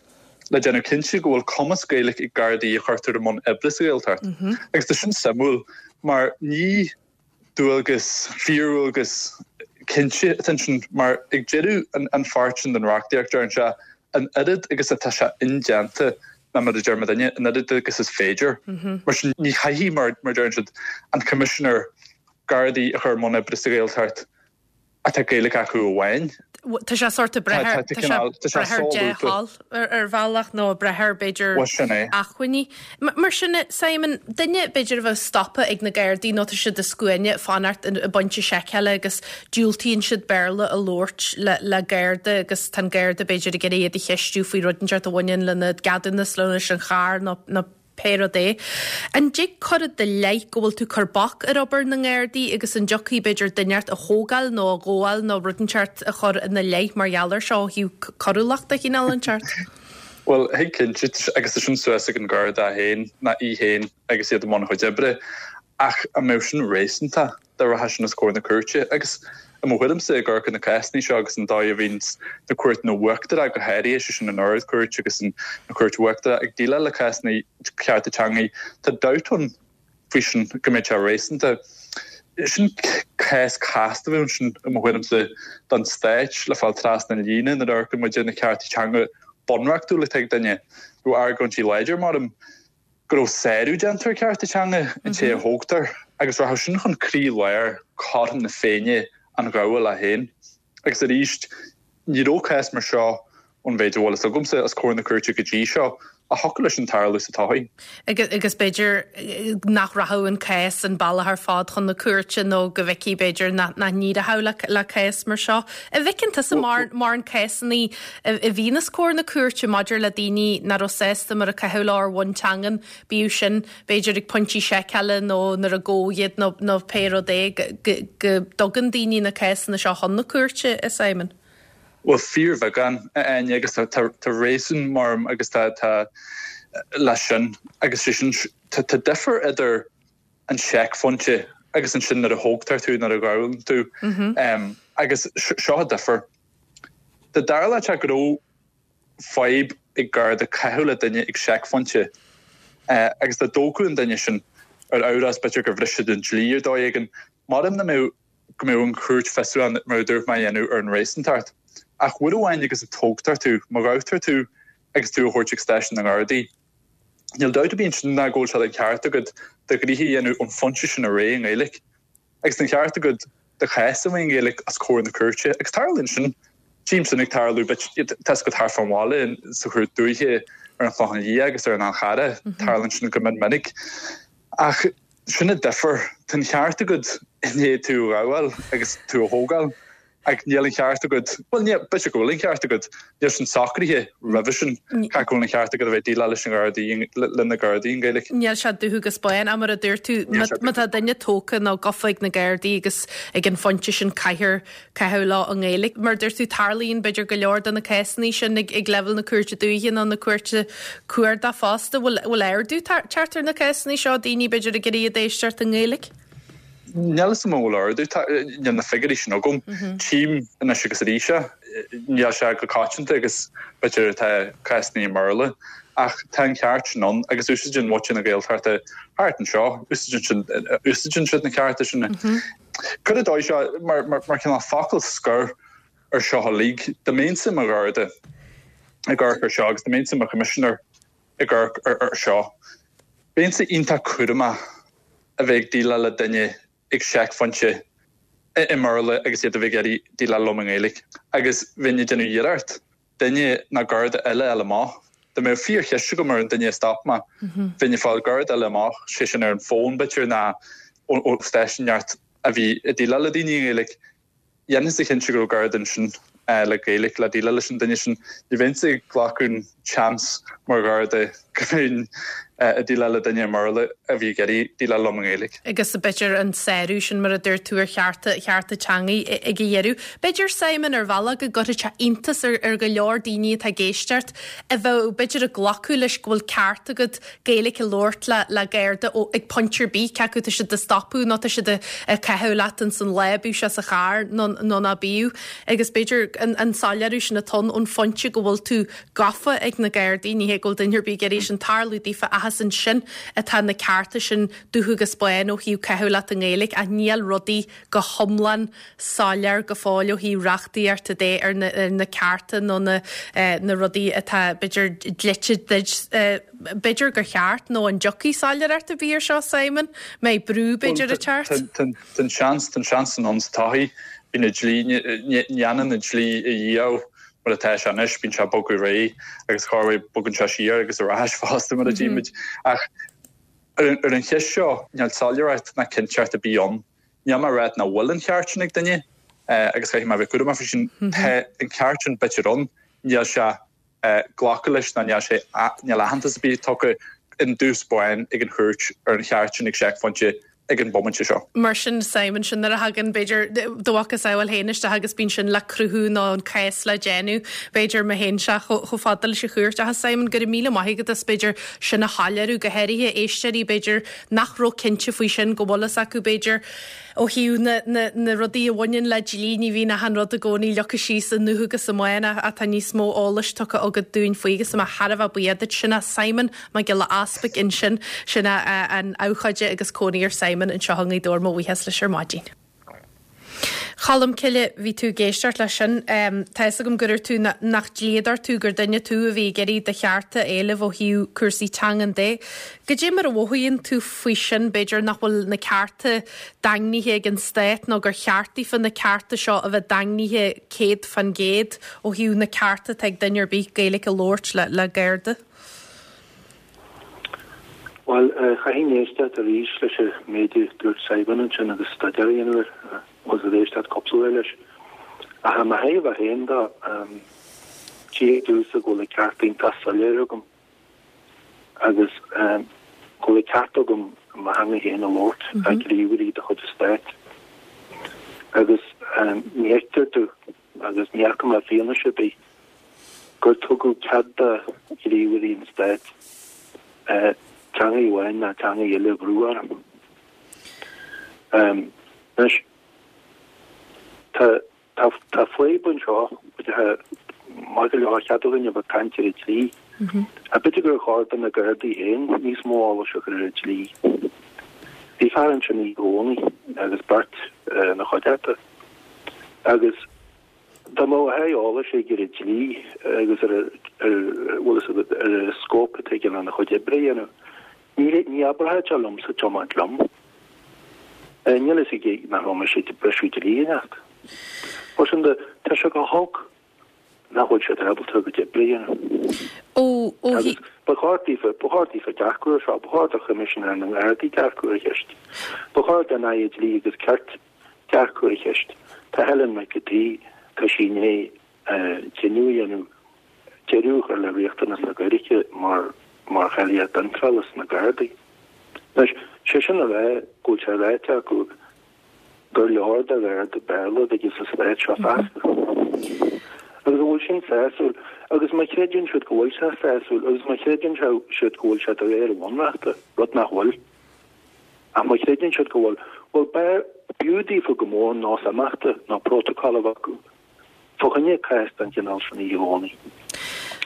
le déanamh cinnte go bhfuil cumas Gaeilge ag Gardaí a chuirtear i mbun oibre sa Ghaeltacht. Agus tá sin suimiúil mar ní dualgas, fíordhualgas cinnte atá ansin mar ag deireadh an pháirt sin den reachtaíocht deireann sé an oiread agus atá sé indéanta ná mar a deir mo dhuine, an oiread agus is féidir. Mar sin ní chaithfidh, mar a deireann siad, an Coimisinéir Gardaí a chur i mbun oibre sa Ghaeltacht atá Gaeilge acu amháin. Tá sé sórt ag brath ar dea-thoil ar bhealach nó ag brath ar b'fhéidir acmhainní. Mar sin, Simon, duine b'fhéidir a bheadh stoptha ag na Gardaí nó tá siad i scuaine ag fanacht i bpointe seiceála agus diúltaíonn siad Béarla a labhairt le Garda agus tá an Garda b'fhéidir ag iarraidh iad a cheistiú faoi rud inteacht a bhaineann lena gceadúnas nó leis an charr nó pé rud é. An dtig cur i do leith go bhfuil tú ag cur bac ar obair na nGardaí agus an dtiocfaí b'fhéidir duine inteacht a thógáil nó a ghabháil nó rud inteacht a chur ina leith mar gheall air seo ó thaobh coiriúlacht de chineál inteacht? Bhuel, thig cinnte, agus tá sin suas ag an Gharda féin, ná í féin agus iad i mbun a chuid oibre. Ach an mbeadh sin réasúnta dá rachadh sin os comhair na cúirte? Agus i mo thuairimse, ag amharc ar na cásanna seo agus an dóigh a bhíonns na cúirteanna uachtaracha, go háirithe, sé sin an Ard-Chúirt agus an Chúirt Uachtarach, ag déileáil le cásanna cearta teanga, tá dabht ann faoi sin go mbeadh sé réasúnta. Sin cás casta a bheadh ansin, i mo thuairimse, don Stát le fáil trasna an líne nuair a amharcann muid ar na cearta teanga bunreachtúla atá ag duine. Bheadh argóintí láidir, maram, go raibh sárú déanta ar chearta teanga an té a thógtar agus rachadh sin chun croí-lár chothrom na Féinne an ghabhála féin. Agus arís, ní raibh cás mar seo, ón mhéid a bhfuil fhios agamsa, os comhair na cúirte go dtí seo, a thiocfadh leis sin tarlú sa todhchaí. Agus b'fhéidir nach rachadh an cás an bealach ar fad chun na cúirte nó go bhfeicfí b'fhéidir nach n-éireodh le cás mar seo. An bhfeiceann tusa mórán cásanna a bhíonn os comhair na cúirte maidir le daoine nach raibh sásta mar a caitheadh leo ar bhonn teangan, bíodh sin b'fhéidir ag pointí seiceála nó nuair a gabhadh iad nó nó pé rud é, go dtugann daoine na cásanna seo chun na cúirte, a Simon? Bhuel, fíorbheagán, a Áine, agus tá tá réasún maram agus tá tá leis sin agus sé sin tá tá difear idir an seicphointe agus ansin nuair a thógtar tú, nuair a ghabhann tú agus seo an difear. Dá dtarlódh sé go raibh fadhb ag Garda caitheamh le duine ag seicphointe agus dá dtógfadh an duine sin ar amhras b'fhéidir gur bhris siad an dlí ar dóigh éigin, maram nach mbeadh go mbeadh an chúirt fiosrúchán mar a dúirt mé a dhéanamh ar an réasúntacht. Ach uair amháin agus a tógtar tú, má ghabhtar tú agus tú a thabhairt ag stáisiún na nGardaí, níl dabht ar bith ansin ná go bhfuil sé de cheart agat do ghnoithe a dhéanamh ón phointe sin ar aghaidh i nGaeilge. Agus tá an ceart agat do chás a bheith i nGaeilge os comhair na cúirte. Agus tarlaíonn sin. Tchím sin ag tarlú, tá fhios agat thart fán bhaile, sa chúirt dúiche, ar an Chlochán Liath agus ar an Fhál Charrach, tarlaíonn sin go mion minic. Ach sin an difear. Tá an ceart agat i ndiaidh tú a ghabháil agus tú a thógáil. Ach níl an ceart agat, bhuel ní, b'fhéidir go bhfuil an ceart agat, níl sin socraithe roimhe sin, cé go bhfuil an ceart agat a bheith ag déileáil leis an Ghardaí, le na Gardaí i nGaeilge. Níl sé dubh agus bán, ach mar a dúirt tú, má tá duine tógtha nó gafa ag na Gardaí agus ag an phointe sin caithfear caitheamh leo i nGaeilge. Mar a dúirt tú, tarlaíonn b'fhéidir go leor de na cásanna sin ag ag leibhéal na Cúirte Dúiche nó na Cúirte Cuarda fosta. Bhfuil bhfuil ardú teacht ar na cásanna seo, daoine b'fhéidir ag iarraidh iad éisteacht i nGaeilge? Níl a fhios agam an bhfuil ardú, níl na figiúirí sin agam. Tchím anois agus arís é, níl sé go coitianta agus b'fhéidir tá cásanna i mBéarla, ach tá an ceart sin ann agus úsáideann muintir na Gaeltachta thart anseo, úsáideann siad na cearta sin. Cuir i dóigh seo mar cineál focal scoir ar seo uilig, dá mbeinnse i mo Gharda ag amharc ar seo agus dá mbeinnse i mo Choimisinéir ag amharc ar seo, bheinnse iontach cúramach a bheith ag déileáil le duine ag seicphointe i mBéarla agus iad a bheith ag iarraidh déileáil liom i nGaeilge. Agus bheinn ag déanamh iarracht duine nó Garda eile a fháil amach. Dá mbeadh fíorcheist agam ar an duine a stop mé, bheinn ag fáil Garda eile amach, sé sin ar an bhfón b'fhéidir nó ó stáisiún inteacht a bhí ag déileáil le daoine i nGaeilge. Dhéanfainnse cinnte go raibh Garda ansin le Gaeilge le déileáil leis an duine sin. Ní bheinnse ag glacadh an seans mar Gharda go mbeinn ag déileáil le duine i mBéarla a bhí ag iarraidh déileáil liom i nGaeilge. Agus b'fhéidir an sárú sin, mar a dúirt tú, ar chearta, chearta teanga ag a dheireadh. B'fhéidir, Simon, ar bhealach go gcuirfidh sé iontas ar, ar go leor daoine atá ag éisteacht a bheadh b'fhéidir ag glacadh leis go bhfuil ceart agat Gaeilge a labhairt le, le Garda ó, ag pointe ar bith, cé acu tá siad do stopadh nó tá siad ag caitheamh leat ins an lá, bíodh sé sa charr nó, nó ná bíodh. Agus b'fhéidir an, an soiléiriú sin atá ann ón phointe go bhfuil tú gafa ag na Gardaí, ní hé go bhfuil duine ar bith ag iarraidh sin tarlú daofa ach is ansin atá na cearta sin dubh agus bán ó thaobh caitheamh leat i nGaeilge ach níl rudaí go hiomlán soiléir go fóill ó thaobh reachtaíochta de ar na, ar na cearta nó na, eh, na rudaí atá b'fhéidir dlite duit eh, b'fhéidir gur cheart nó an dtiocfaidh soiléireacht ar bith ar seo Simon? Mbeidh brú b'fhéidir ag teacht? Tá an seans tá an seans ann sa todhchaí bíonn an dlí ní dhéanann an dlí a dhíobháil mar atá sé anois, bíonn sé ag bogadh ar aghaidh agus corruair bogann sé siar agus ar ais fosta mar a tchímid. Ach ar an cheist seo níl soiléireacht ná cinnteacht ar bith ann. Níl mé ag rá nach bhfuil an ceart sin ag duine agus caithfidh mé a bheith cúramach faoi sin. Tá an ceart sin b'fhéidir ann, níl sé glacadh leis ná níl sé níl aitheantas ar bith tugtha i dtús báire ag an chúirt ar an cheart sin ag seicphointe ag an bomaite seo. Mar sin Simon sin nuair a thagann b'fhéidir do mhacasamhail féin isteach agus bíonn sin le cruthú nó an cás le déanamh b'fhéidir má théann sé chomh fada leis an chúirt. Ach Simon go raibh míle maith agat as b'fhéidir sin a shoiléiriú go háirithe éisteoirí b'fhéidir nach raibh cinnte faoi sin go bhfuil fhios acu b'fhéidir ó thaobh na, na, na rudaí a bhaineann le dlí ní bhíonn achan rud i gcónaí leagtha síos i ndubh agus i mbán ach tá níos mó eolais tugtha agat dúinn faoi agus tá mé thar a bheith buíoch duit sin é Simon Mac Giolla Easpaig ansin sin é an abhcóide agus cónaí ar Simon anseo i nGaoth Dobhair mo bhuíochas leis ar maidin. Colmcille, bhí tú ag éisteacht leis sin. Tá fhios agam go raibh tú nach dlíodóir tú gur duine tú a bhí ag iarraidh do chearta a éileamh ó thaobh cúrsaí teangan de. Goidé mar a mhothaíonn tú faoi sin, b'fhéidir nach bhfuil na cearta daingnithe ag an stát nó gur cheart daofa na cearta seo a bheith daingnithe céad fan gcéad ó thaobh na cearta atá ag duine ar bith Gaeilge a labhairt le, le Garda? Bhuel, chaithfinn éisteacht arís leis an méid a dúirt Simon ansin agus staidéar a dhéanamh air, agus ag éisteacht cúpla uair leis. Ach i mo thaobh féin de, tchíthear domhsa go bhfuil an ceart iontach soiléir agam agus go bhfuil an ceart agam mo theanga féin a labhairt le gníomhairí de chuid an stáit. Agus ní fheictear domh, agus ní fhaca mé fianaise ar bith, gur tugadh cead do ghníomhairí an stáit teanga amháin ná teanga eile a bhrú orm. Anois, tá tá tá fadhb anseo, maith go leor chead againn a bheith ag caint ar an dlí, ach b'fhéidir gur chóir do na Gardaí féin níos mó eolais a chur ar an dlí. Bhí fear ansin oíche Dhomhnaigh agus beirt ina chuideachta, agus dá mbeadh a dhath eolais aige ar an dlí agus ar ar bhfuil fhios agat ar an scóip atá aige lena chuid oibre a dhéanamh, ní ní abródh sé liomsa tiomáint liom. Níl fhios aige nach raibh mise ag briseadh dlí inteacht. Mar sin de, tá sé go holc nach bhfuil siad ábalta a gcuid oibre a dhéanamh. Ó ó Agus ba chóir daofa, ba chóir daofa dearcadh ar seo, ba chóir do Choimisinéir na nGardaí dearcadh ar an cheist, ba chóir don Aire Dlí agus Cirt dearcadh ar an cheist. Tá Helen McEntee, tá sí i ndiaidh cinneadh a dhéanamh deireadh a chur le riachtanas na Gaeilge mar mar cháilíocht iontrála sna Gardaí. Anois, sé sin a rá go bhfuil sé ráite acu gur leor do Gharda Béarla a bheith aige sa stát seo feasta. Agus an bhfuil sin sásúil? Agus má chreideann siad go bhfuil sé sásúil, agus má chreideann siad go bhfuil sé de réir an Bhunreachta, rud nach bhfuil, ach má chreideann siad go bhfuil, bhuel, b'fhiú daofa go mór nós imeachta nó prótacal a bheith acu fá choinne cás den chineál sin oíche Dhomhnaigh.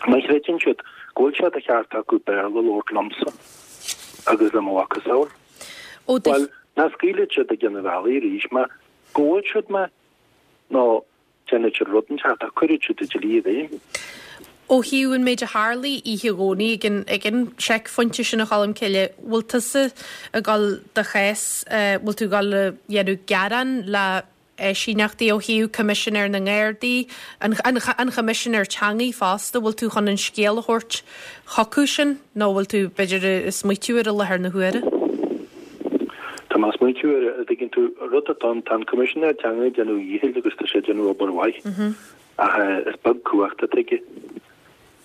Má chreideann siad go bhfuil sé de cheart acu Béarla a labhairt liomsa agus le mo mhacasamhail, bhuel, ná scaoilfidh siad ag an bhealaigh arís mé, gabhfaidh siad mé nó déanfaidh siad rud inteacht ach cuirfidh siad an dlí i bhfeidhm. Ó thaobh an méid a tharlaigh oíche Dhomhnaigh ag an ag an seicphointe sin a Cholmcille, bhfuil tusa ag dul do chás, bhfuil tú ag dul a dhéanamh gearán le eisíneachtaí ó thaobh Coimisinéir na nGardaí, an an Choimisinéir Teangaí fosta, bhfuil tú chun an scéal a thabhairt chucu sin nó bhfuil tú, b'fhéidir, ag smaoitiú air i láthair na huaire? Tá mé ag smaoitiú air, a dtuigeann tú, rud atá ann, tá an Coimisinéir Teanga ag déanamh a dhíchill agus tá sé ag déanamh obair mhaith ach is beag cumhacht atá aige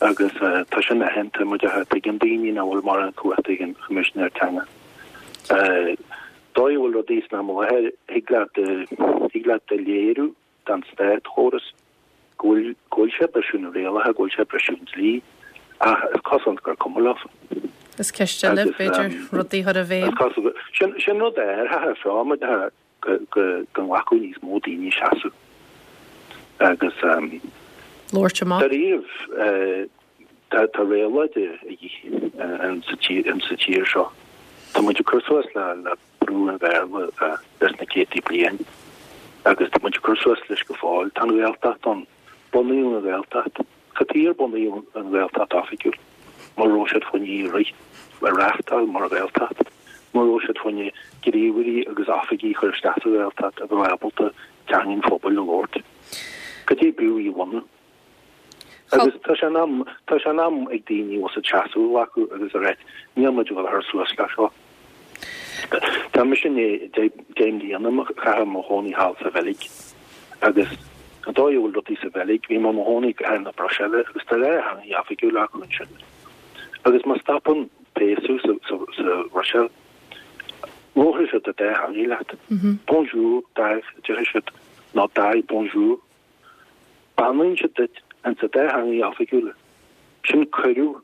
agus tá sin aitheanta, mar tuigeann daoine nach bhfuil mórán cumhachta ag an Choimisinéir Teanga. Dóigh a bhfuil rudaí san am i láthair, thig leat, thig leat a léiriú don státchóras go bhfuil, go bhfuil sé ag briseadh na rialacha, go bhfuil sé ag briseadh an dlí, ach is cosúil gur cuma leofa. Is ceist eile, b'fhéidir, rudaí a chur i bhfeidhm. Is cosúil, sin, sin rud áirithe seo, mar go, go, go nglacfadh níos mó daoine seasamh agus labhairt amach. Dáiríribh, tá, tá réabhlóid a dhíth sa tír, sa tír seo. Tá muid ag cur suas le, le brú an Bhéarla leis na céadtaí bliain agus tá muid ag cur suas leis go fóill. Tá an Ghaeltacht ann. Bunaíodh an Ghaeltacht. Cad chuige ar bunaíodh an Ghaeltacht oifigiúil? Mura raibh siad fá choinne í a rith, a reáchtáil mar Ghaeltacht. Mura raibh siad fá choinne gníomhairí agus oifigigh a chur isteach sa Ghaeltacht a bheadh ábalta teanga an phobail a labhairt. Cad é b'fhiú í a bhunú? Agus tá sé in am, tá sé in am ag daoine bhfuil siad seasamh a ghlacadh agus a ráit, níl muid ag dul a chur suas le seo. Tá mise i ndiaidh deich mbliana a chaitheamh i mo chónaí thall sa Bheilg agus an dóigh a bhfuil rudaí sa Bheilg, bhí mé i mo chónaí i gcathair na Bruiséile agus tá dhá theanga oifigiúil acu ansin. Agus má stopann péas thú sa Bhruiséil, labharfaidh siad an dá theanga leat. Bonjour, dag, a déarfaidh siad, nó dag, bonjour. Beannaíonn siad duit ins an dá theangaidh oifigiúla. Sin cuireadh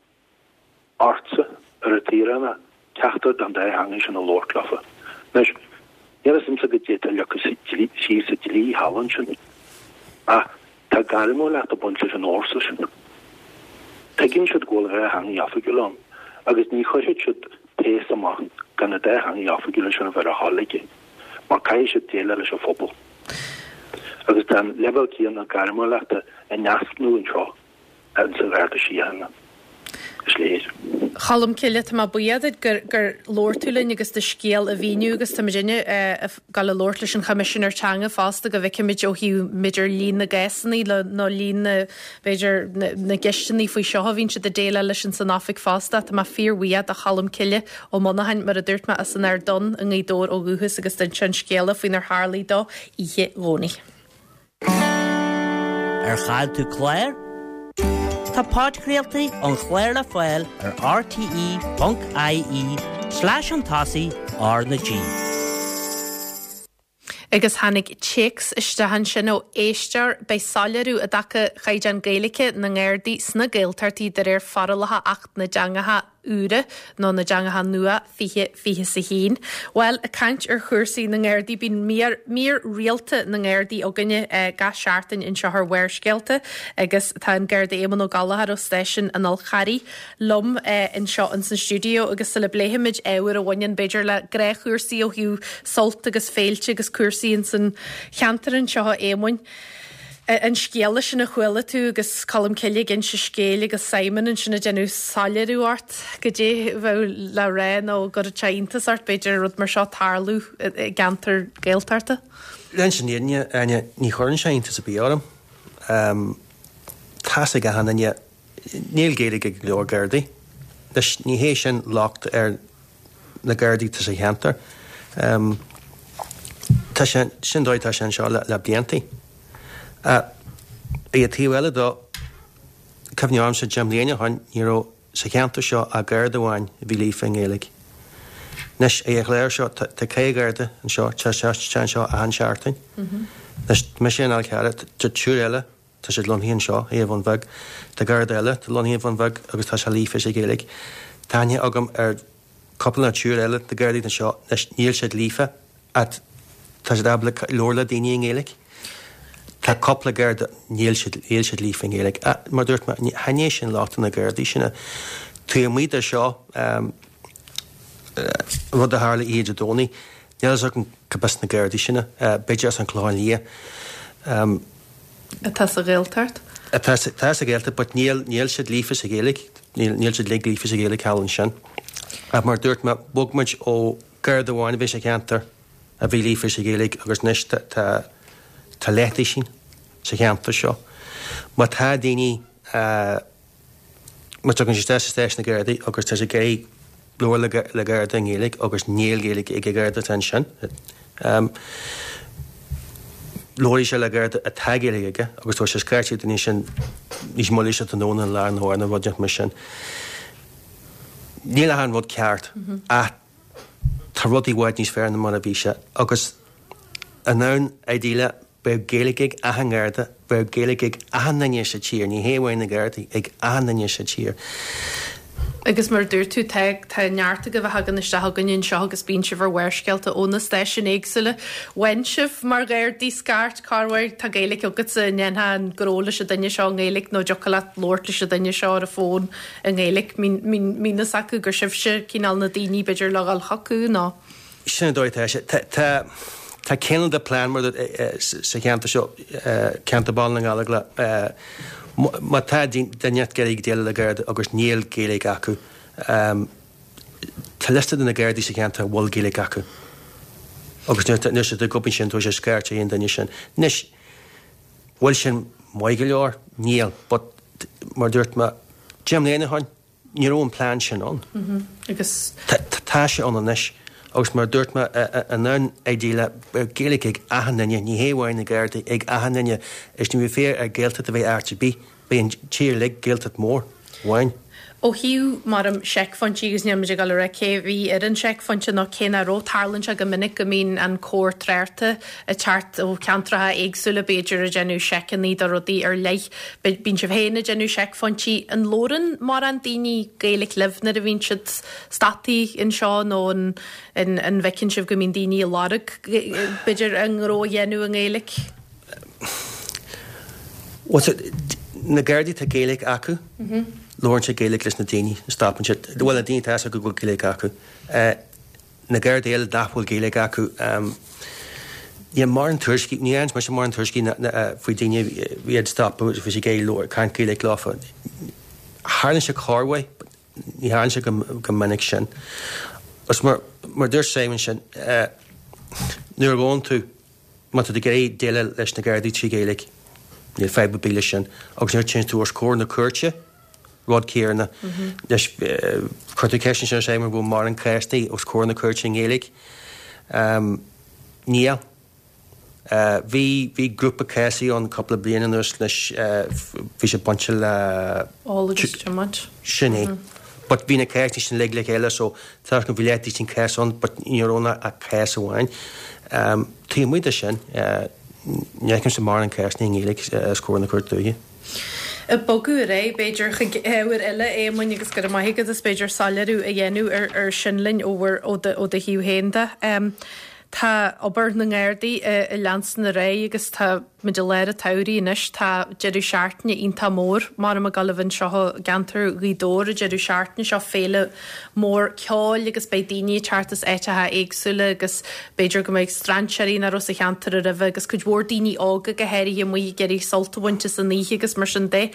ortsa, ar an tsaoránach, ceachtar den dá theangaidh sin a labhairt leofa. Anois, níl a fhios a'msa goidé atá leagtha síos sa dlí thall ansin, ach tá gairmiúlacht ag baint leis an fhórsa sin. Tuigeann siad go bhfuil dhá theangaidh oifigiúil ann agus ní chuirfidh siad péas amach gan na dá theangaidh oifigiúla sin a bheith ar a thoil aige, mar caithfidh siad déileáil leis an phobal. Agus tá an leibhéal céanna gairmiúlachta in easnamh anseo ins an Gharda Síochána, is léir. Cholmcille, tá mé buíoch duit gur gur labhair tú linn agus do scéal a mhíniú agus tá muidinne ag gabháil a labhairt leis an Choimisinéir Teanga fosta go bhfeicfimid ó thaobh b'fhéidir líon na gcásanna le nó líon na b'fhéidir na na gceisteanna faoi seo a bhíonn siad ag déileáil leis ins an oifig fosta. Tá mé fíorbhuíoch do Cholmcille Ó Monacháin, mar a dúirt mé, as an Ard Donn i nGaoth Dobhair ó dhúchas agus d'inis sé an scéala faoinar tharlaigh dó oíche Dhomhnaigh. Ar chaill tú clár? Tá podchraoltaí an chláir le fáil ar rte ponc ie slash chun tosaigh R na G. Agus tháinig téacs isteach ansin ó éisteoir, beidh soiléiriú i dtaca chaighdeán Gaeilge na nGardaí sna Gaeltachtaí de réir forálacha Acht na dTeangacha Úra nó na dTeangacha Nua fiche fiche is a haon. Bhuel, ag caint ar chúrsaí na nGardaí, bíonn mír, mír rialta na nGardaí againne gach seachtain anseo ar Bharrscéalta agus tá an Garda Éamonn Ó Gallchóir ó Stáisiún an Fhál Charraigh liom anseo ins an stiúideo agus sula bpléifimid ábhar a bhaineann b'fhéidir le gnáthchúrsaí ó thaobh sult agus féilte agus cúrsaí ins an cheantar anseo a Éamoinn, an scéala sin a chuala tú agus Colm Cille ag inse scéil agus Simon ansin ag déanamh soiléiriú ort goidé a bheadh le rá nó go raibh sé iontas ort b'fhéidir rud mar seo tarlú i gceantar Gaeltachta? Le an fhírinne, Áine, ní chuireann sé iontas ar bith orm. Tá's ag achan duine, níl Gaeilge ag go leor Gardaí. Anois, ní hé sin locht ar na Gardaí atá sa cheantar. Tá sé sin dóigh tá sé anseo le, le bliantaí. Ar an taobh eile de, cuimhne ormsa deich mbliana ó shin, ní raibh sa cheantar seo ach Garda amháin a bhí líofa i nGaeilge. Anois, ar an chlár seo, tá ceithre Gharda anseo, tá sé anseo achan seachtain. Anois, mise an Fhál Carrach, tá triúr eile, tá siad lonnaithe anseo, i Bhun Bheag. Tá Garda eile, tá lonnaithe i Bhun Bheag agus tá sé líofa sa Ghaeilge. Tá aithne agam ar cúpla nó triúr eile de Ghardaí anseo, anois níl siad líofa ach tá siad ábalta labhairt le daoine i nGaeilge. Tá cúpla Garda, níl siad, níl siad líofa i nGaeilge. Ach mar dúirt mé, chan é sin locht na Gardaí sin. Taobh amuigh de seo, rud a tharla oíche Dé Domhnaigh, níl a fhios agam cad as na Gardaí sin, b'fhéidir as an Chlochán Liath. Atá sa Ghaeltacht? Atá sa Ghaeltacht, but níl, níl siad líofa sa Ghaeilge, níl, níl siad uilig líofa sa Ghaeilge thall ansin. Ach mar dúirt mé, bhog muid ó Garda amháin a bhí sa cheantar a bhí líofa sa Ghaeilge agus anois tá, tá, tá leathduisín sa cheantar seo. Má tá daoine, má tagann siad isteach sa stáisiún na Gardaí agus tá siad ag iarraidh labhairt le Garda i nGaeilge agus níl Gaeilge ag an Gharda atá ansin, labharfaidh sé le Garda atá Gaeilge aige agus tabharfaidh sé scairt an duine sin níos moille sa tráthnóna nó lá arna mhárach nó rud inteacht mar sin. Níl achan rud ceart ach tá rudaí i bhfad níos fearr ná mar a bhí sé agus in am idéalach bheadh Gaeilge ag achan Gharda, bheadh Gaeilge ag achan duine sa tír, ní hé amháin na Gardaí, ag achan duine sa tír. Agus mar a dúirt tú, tá, tá neart agaibh a thagann isteach chugainn anseo agus bíonn sibh ar Bharrscéalta ó na stáisiúin éagsúla. Bhain sibh mar Ghardaí scairt, corruair, tá Gaeilge agatsa, an ndéanfá an gnó leis an duine seo i nGaeilge nó dtiocfadh leat labhairt leis an duine seo ar an bhfón i nGaeilge. Mbíonn fhios acu gur sibhse cineál na daoine b'fhéidir le dhul chucu nó. Sin an dóigh atá sé. Tá, tá, tá cineál de plean mar sa cheantar seo, ceantar Bhaile na nGallóglach, má tá duine ag iarraidh déileáil le Garda agus níl Gaeilge acu, tá liosta de na Gardaí sa cheantar a bhfuil Gaeilge acu. Agus nuair siad ag obair sin, tabharfaidh sé scairt ar an duine sin. Anois, bhfuil sin maith go leor? Níl, but mar dúirt mé, deich mbliana ó shin, ní raibh an plean sin ann. Agus. Tá sé ann anois. Agus mar a dúirt mé, in am idéalach, beidh Gaeilge ag achan duine, ní hé amháin na Gardaí, ag achan duine. Is ní bheidh féar ar Ghaeltacht a bheith áit ar bith, beidh an tír uilig Gaeltacht mór amháin. Ó thaobh, maram, seicphointí agus níl muid ag dul a rá cé a bhí ar an seicphointe nó cé nach raibh, tarlaíonn sé go minic go mbíonn an cór tráchta ag teacht ó cheantracha éagsúla, b'fhéidir ag déanamh seiceanna do rudaí ar leith. Bíonn sibh féin ag déanamh seicphointí. An labhrann mórán daoine Gaeilge libh nuair a bhíonn siad stoptha anseo nó an an bhfeiceann sibh go mbíonn daoine ag lorg, b'fhéidir, a ngnó a dhéanamh i nGaeilge? Bhuel, na Gardaí tá Gaeilge acu, labhrann siad Gaeilge leis na daoine a stopann siad, bhuel na daoine tá fhios acu go bhfuil Gaeilge acu. Na Gardaí eile nach bhfuil Gaeilge acu, níl mórán tuairiscí, ní fhaigheann mise mórán tuairiscí faoi daoine a bhí ag stopadh, bhí siad ag iarraidh caint Gaeilge leofa. Tharlaíonn sé corruair, ní tharlaíonn sé go minic sin. Agus mar mar dúirt Simon sin, nuair a ghabhann tú, má tá tú ag iarraidh déileáil leis na Gardaí trí Ghaeilge, níl fadhb ar bith leis sin. Agus nuair a téann tú os comhair na cúirte, rud céanna. Anois, chuir tú ceist ansin ar Simon bhfuil mórán cásanna os comhair na cúirte i nGaeilge. Níl. Bhí, bhí grúpa cásanna ann cúpla bliain anuas anois, bhí sé bainte le. Ól agus tiomáint. Sin é. But bhí na cásanna sin uilig le chéile so tá go bhí leath cás ann but ní raibh ann ach cás amháin. Taobh amuigh de sin, ní fheicimse mórán cásanna i nGaeilge os comhair na Cúirte Dúiche. Ag bogadh ar aghaidh, b'fhéidir, chuig ábhar eile, Éamoinn, agus go raibh maith agat as b'fhéidir soiléiriú a dhéanamh ar ar sin linn ó bhur ó do ó do thaobh féin de. Tá obair na nGardaí ag leanstan ar aghaidh agus tá muid i lár an tsamhraidh anois. Tá deireadh seachtaine iontach mór mar ag gabháil a bheith anseo i gceantar Ghaoth Dobhair an deireadh seachtaine seo, féile mór ceoil agus beidh daoine ag teacht as áiteacha éagsúla agus b'fhéidir go mbeidh strainséirí nach raibh sa cheantar roimhe agus cuid mhór daoine óga go háirithe amuigh ag iarraidh sult a bhaint as an oíche agus mar sin de.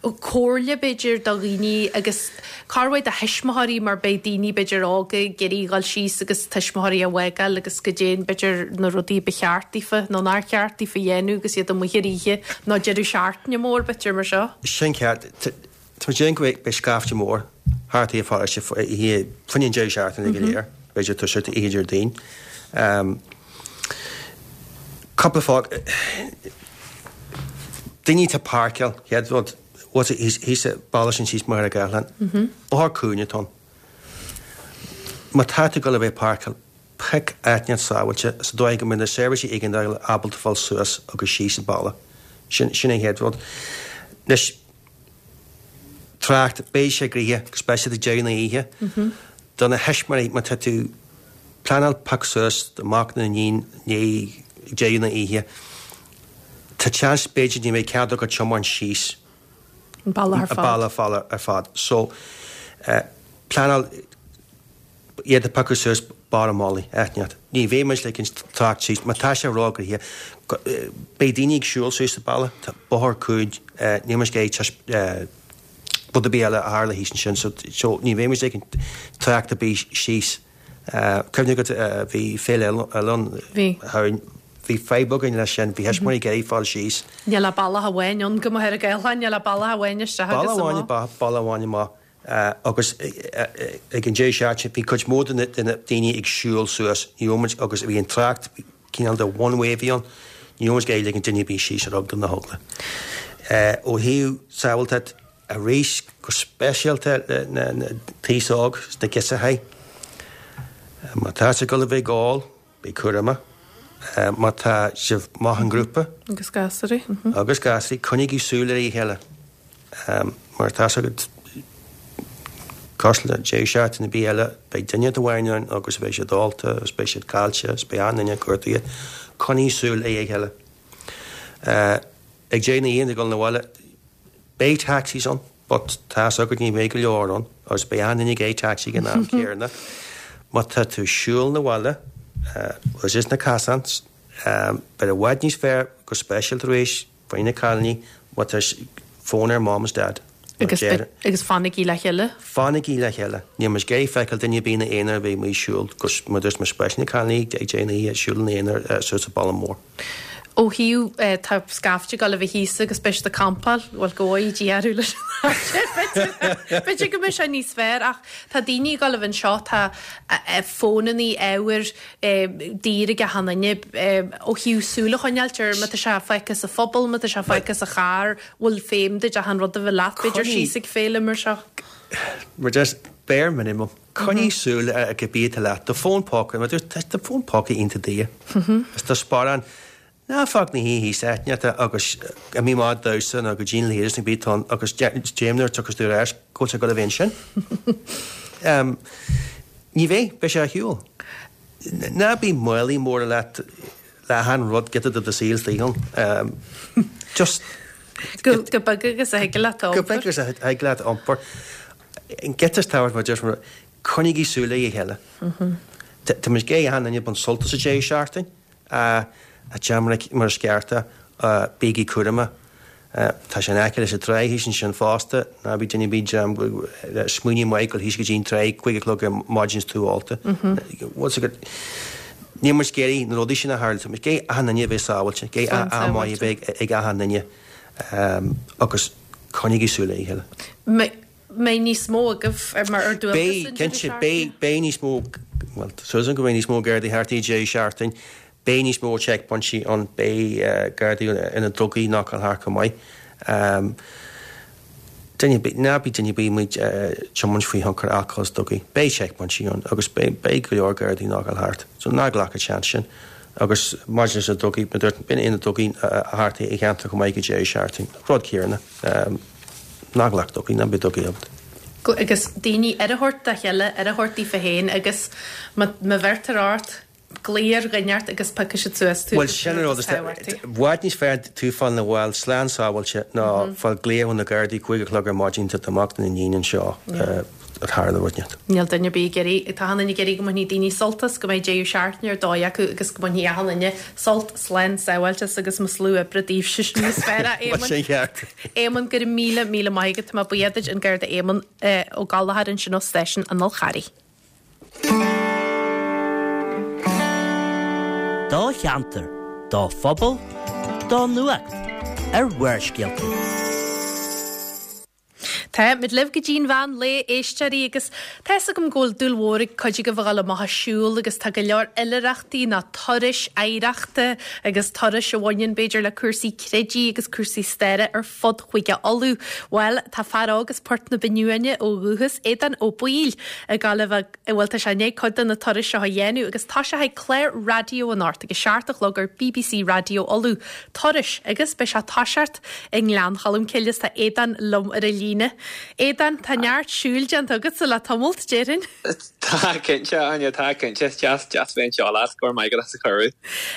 Comhairle b'fhéidir do dhaoine agus corruair do thuismitheoirí mar beidh daoine b'fhéidir óga ag iarraidh dhul síos agus tuismitheoirí a fhágáil agus goidé b'fhéidir na rudaí ba cheart daofa nó nár cheart daofa a dhéanamh agus iad amuigh ar oíche nó deireadh seachtaine mór b'fhéidir mar seo. Sin ceart. Tá muid ag déanamh go mbeidh scaifte mór thart ar pharóiste oíche fá choinne an deireadh seachtaine go léir, b'fhéidir toiseacht oíche Déardaoin. Cúpla fáth. Daoine atá ag páirceáil, chéad rud, what's it, thíos sa bhaile sin síos Machaire Gathlán. Bóthar cúinne atá ann. Má tá tú ag dul a bheith ag páirceáil, pioc áit inteacht sábháilte sa dóigh go mbeidh na seirbhísí éigeandála ábalta fáil suas agus síos an bealach. Sin, sin an chéad rud. Anois, trácht, beidh sé gnoitheach, go speisialta ag deireadh na hoíche. Do na thuismitheoirí, má tá tú pleanáil piocadh suas do mhac nó iníon i ndiaidh deireadh na hoíche, tá seans b'fhéidir ní bheidh cead agat tiomáint síos an bealach ar fad. An bealach ar fad. So, pleanáil iad a phiocadh suas barr an mhullaigh, áit inteacht. Ní bheidh muid ag ligint trácht síos, má tá sé róghnoitheach, beidh daoine ag siúl suas an bealach, tá bóthar cúig, níl muid ag iarraidh rud ar bith eile a tharla thíos ansin, so, so ní bheidh muid ag ligint trácht ar bith síos. Cuimhne agat, bhí Féile Oileán Shamhain, bhí fadhb againn leis sin, bhí thuismitheoirí ag iarraidh fáil síos. Níl ach bealach amháin ann go Machaire Gathlán, níl ach bealach amháin isteach agus amach. Bealach amháin, bealach amháin amach. Agus ag an deireadh seachtaine bhí cuid mhór de na daoine ag siúl suas, ní raibh muid, agus bhí an trácht cineál de one way a bhí ann, ní raibh muid ag iarraidh ligint duine ar bith síos ar eagla na heagla. Ó thaobh sábháilteacht arís, go speisialta na taos óg sna girseachaí, má tá sibh ag dul a bheith ag ól, bí cúramach. Má tá sibh amach i ngrúpa. Agus gasúraí. Agus gasúraí, coinnígí súil ar a chéile. Mar tá 's agat, cosúil le deireadh seachtaine ar bith eile, beidh duine amháin ann agus beidh siad ólta agus beidh siad caillte agus beidh achan duine ag cuartú iad. Coinnigh súil ar a chéile. Ag deireadh na hoíche ag dul 'na bhaile, beidh taxis ann but tá 's agat ní bheidh go leor ann agus beidh achan duine ag iarraidh taxi ag an am céanna. Má tá tú ag siúl 'na bhaile agus is na casáin, beidh i bhfad níos fearr go speisialta arís faoi na cailíní má tá fón ar mom is dad. Agus, agus fanaigí le chéile. Fanaigí le chéile. Níl muid ag iarraidh feiceáil duine ar bith ina aonar a bheith amuigh ag siúl, agus mar dúirt mé speisialta na cailíní ag deireadh na hoíche ag siúl ina aonar suas an baile mór. Ó thaobh, tá scaifte ag dul a bheith thíos agus beidh siad ag campáil, bhuel go bhfóire Dia orthu leis an aimsir, b'fhéidir go mbeidh sé níos fearr ach tá daoine ag dul a bheith anseo, tá fónannaí, ábhair daor ag achan duine ó thaobh súil a choinneáilt ar má tá sé fágtha sa phuball, má tá sé fágtha sa charr, bhfuil feidhm duit achan rud a bheith leat, b'fhéidir síos ag féile mar seo. Mar just bare minimum. Coinnigh súil ar cibé atá leat, do fón póca, mar dúirt, tá do fón póca iontach daor. Is do sparán, ná fág ina shuí thíos áit inteacht agus imigh amach ag damhsa nó go dtí an leithreas nó cibé atá ann agus déan nuair a tiocfas tú ar ais go bhfuil sé ag dul a bheith ansin. Ní bheidh, beidh sé ar shiúl. Ná bí málaí móra leat le achan rud giota de do saol istigh ann. Just. Go beag agus a thig leat a iompar. Go beag agus a thig leat a iompar. An giota is tábhachtaí mar deir mé, coinnigí súil ar a chéile. Tá muid ag iarraidh achan duine ag baint sult as an deireadh seachtaine. A déan mar is ceart é, bígí cúramach. Tá sé in aice leis an trá thíos ansin fosta, ná bí duine ar bith dream smaoineamh maith dul thíos go dtí an trá cúig a chlog ar maidin is tú ólta. Bhfuil 's agat, níl muid ag iarraidh na rudaí sin a tharlú, tá muid ag iarraidh achan duine a bheith sábháilte, ag iarraidh am maith a bheith ag achan duine agus coinnígí súil ar a chéile. Mbeidh níos mó agaibh mar ar dualgas Beidh, an deireadh cinnte, seachtaine? beidh, beidh níos mó, bhuel, tá súil agam go mbeidh níos mó Gardaí thart an deireadh seachtaine. Beidh níos mó checkpointí ann, beidh Gardaí ina ndrugaí ag knockáil thart chomh maith. Duine ar bith, ná bí duine ar bith amuigh ag tiomáint faoi thionchar alcohol is drugaí. Beidh checkpointí ann agus beidh, beidh go leor Gardaí ag knockáil thart. So ná glac an seans sin. Agus maidir leis na drugaí, mar dúirt, beidh na drugaí thart i gceantar chomh maith go deireadh seachtaine. Rud céanna. Ná glac drugaí, ná bíodh drugaí agat. Agus daoine aire a thabhairt dá chéile, aire a thabhairt daofa féin agus má bheirtear ort, glaoigh ar dhuine ort agus piocfaidh siad suas tú Bhuel, sin an rud is i bhfad níos fearr tú fáil 'na bhaile slán sábháilte ná fáil glaoch ó na Gardaí cúig a chlog ar maidin tá do mhac nó d'iníon anseo a tharla rud inteacht. Níl duine ar bith ag iarraidh, tá achan duine ag iarraidh go mbainfidh daoine sult as, go mbeidh deireadh seachtaine ar dóigh acu agus go mbainfidh achan duine sult, slán sábháilte as agus mo slú oibre daoibhse sin níos fearr a Bhuel, Éamoinn. sin ceart. Éamonn, go raibh míle, míle maith agat, tá mé buíoch duit, an Garda Éamonn Ó Gallchóir ansin ó Stáisiún an Fhál Charraigh. Do cheantar, do phobal, do nuacht ar Bharrscéalta. Tá Tá muid libh go dtí'n mheán lae, a éisteoirí, agus tá fhios agam go bhfuil dúil mhór ag cuid agaibh a dhul amach ag siúl agus tá go leor oilithreachtaí ná turais oidhreachta agus turais a bhaineann b'fhéidir le cúrsaí creidimh agus cúrsaí staire ar fud Chúige Uladh. Bhuel, tá fear óg as Port na Binne ó dhúchas, Aodán Ó Baoill, ag gabháil a bheith, bhuel tá sé i ndiaidh cuid de na turais seo a dhéanamh agus tosóidh clár raidió anocht ag a seacht a chlog ar bbc Raidió Uladh, Turais, agus beidh sé ag toiseacht i nGleann Cholm Cille is tá Aodán liom ar an líne. Aodán, tá neart siúil déanta agatsa le tamalt, déarfainn. Tá cinnte, Áine, tá cinnte. Is deas, deas bheith anseo leat, go raibh maith agat as an chuireadh.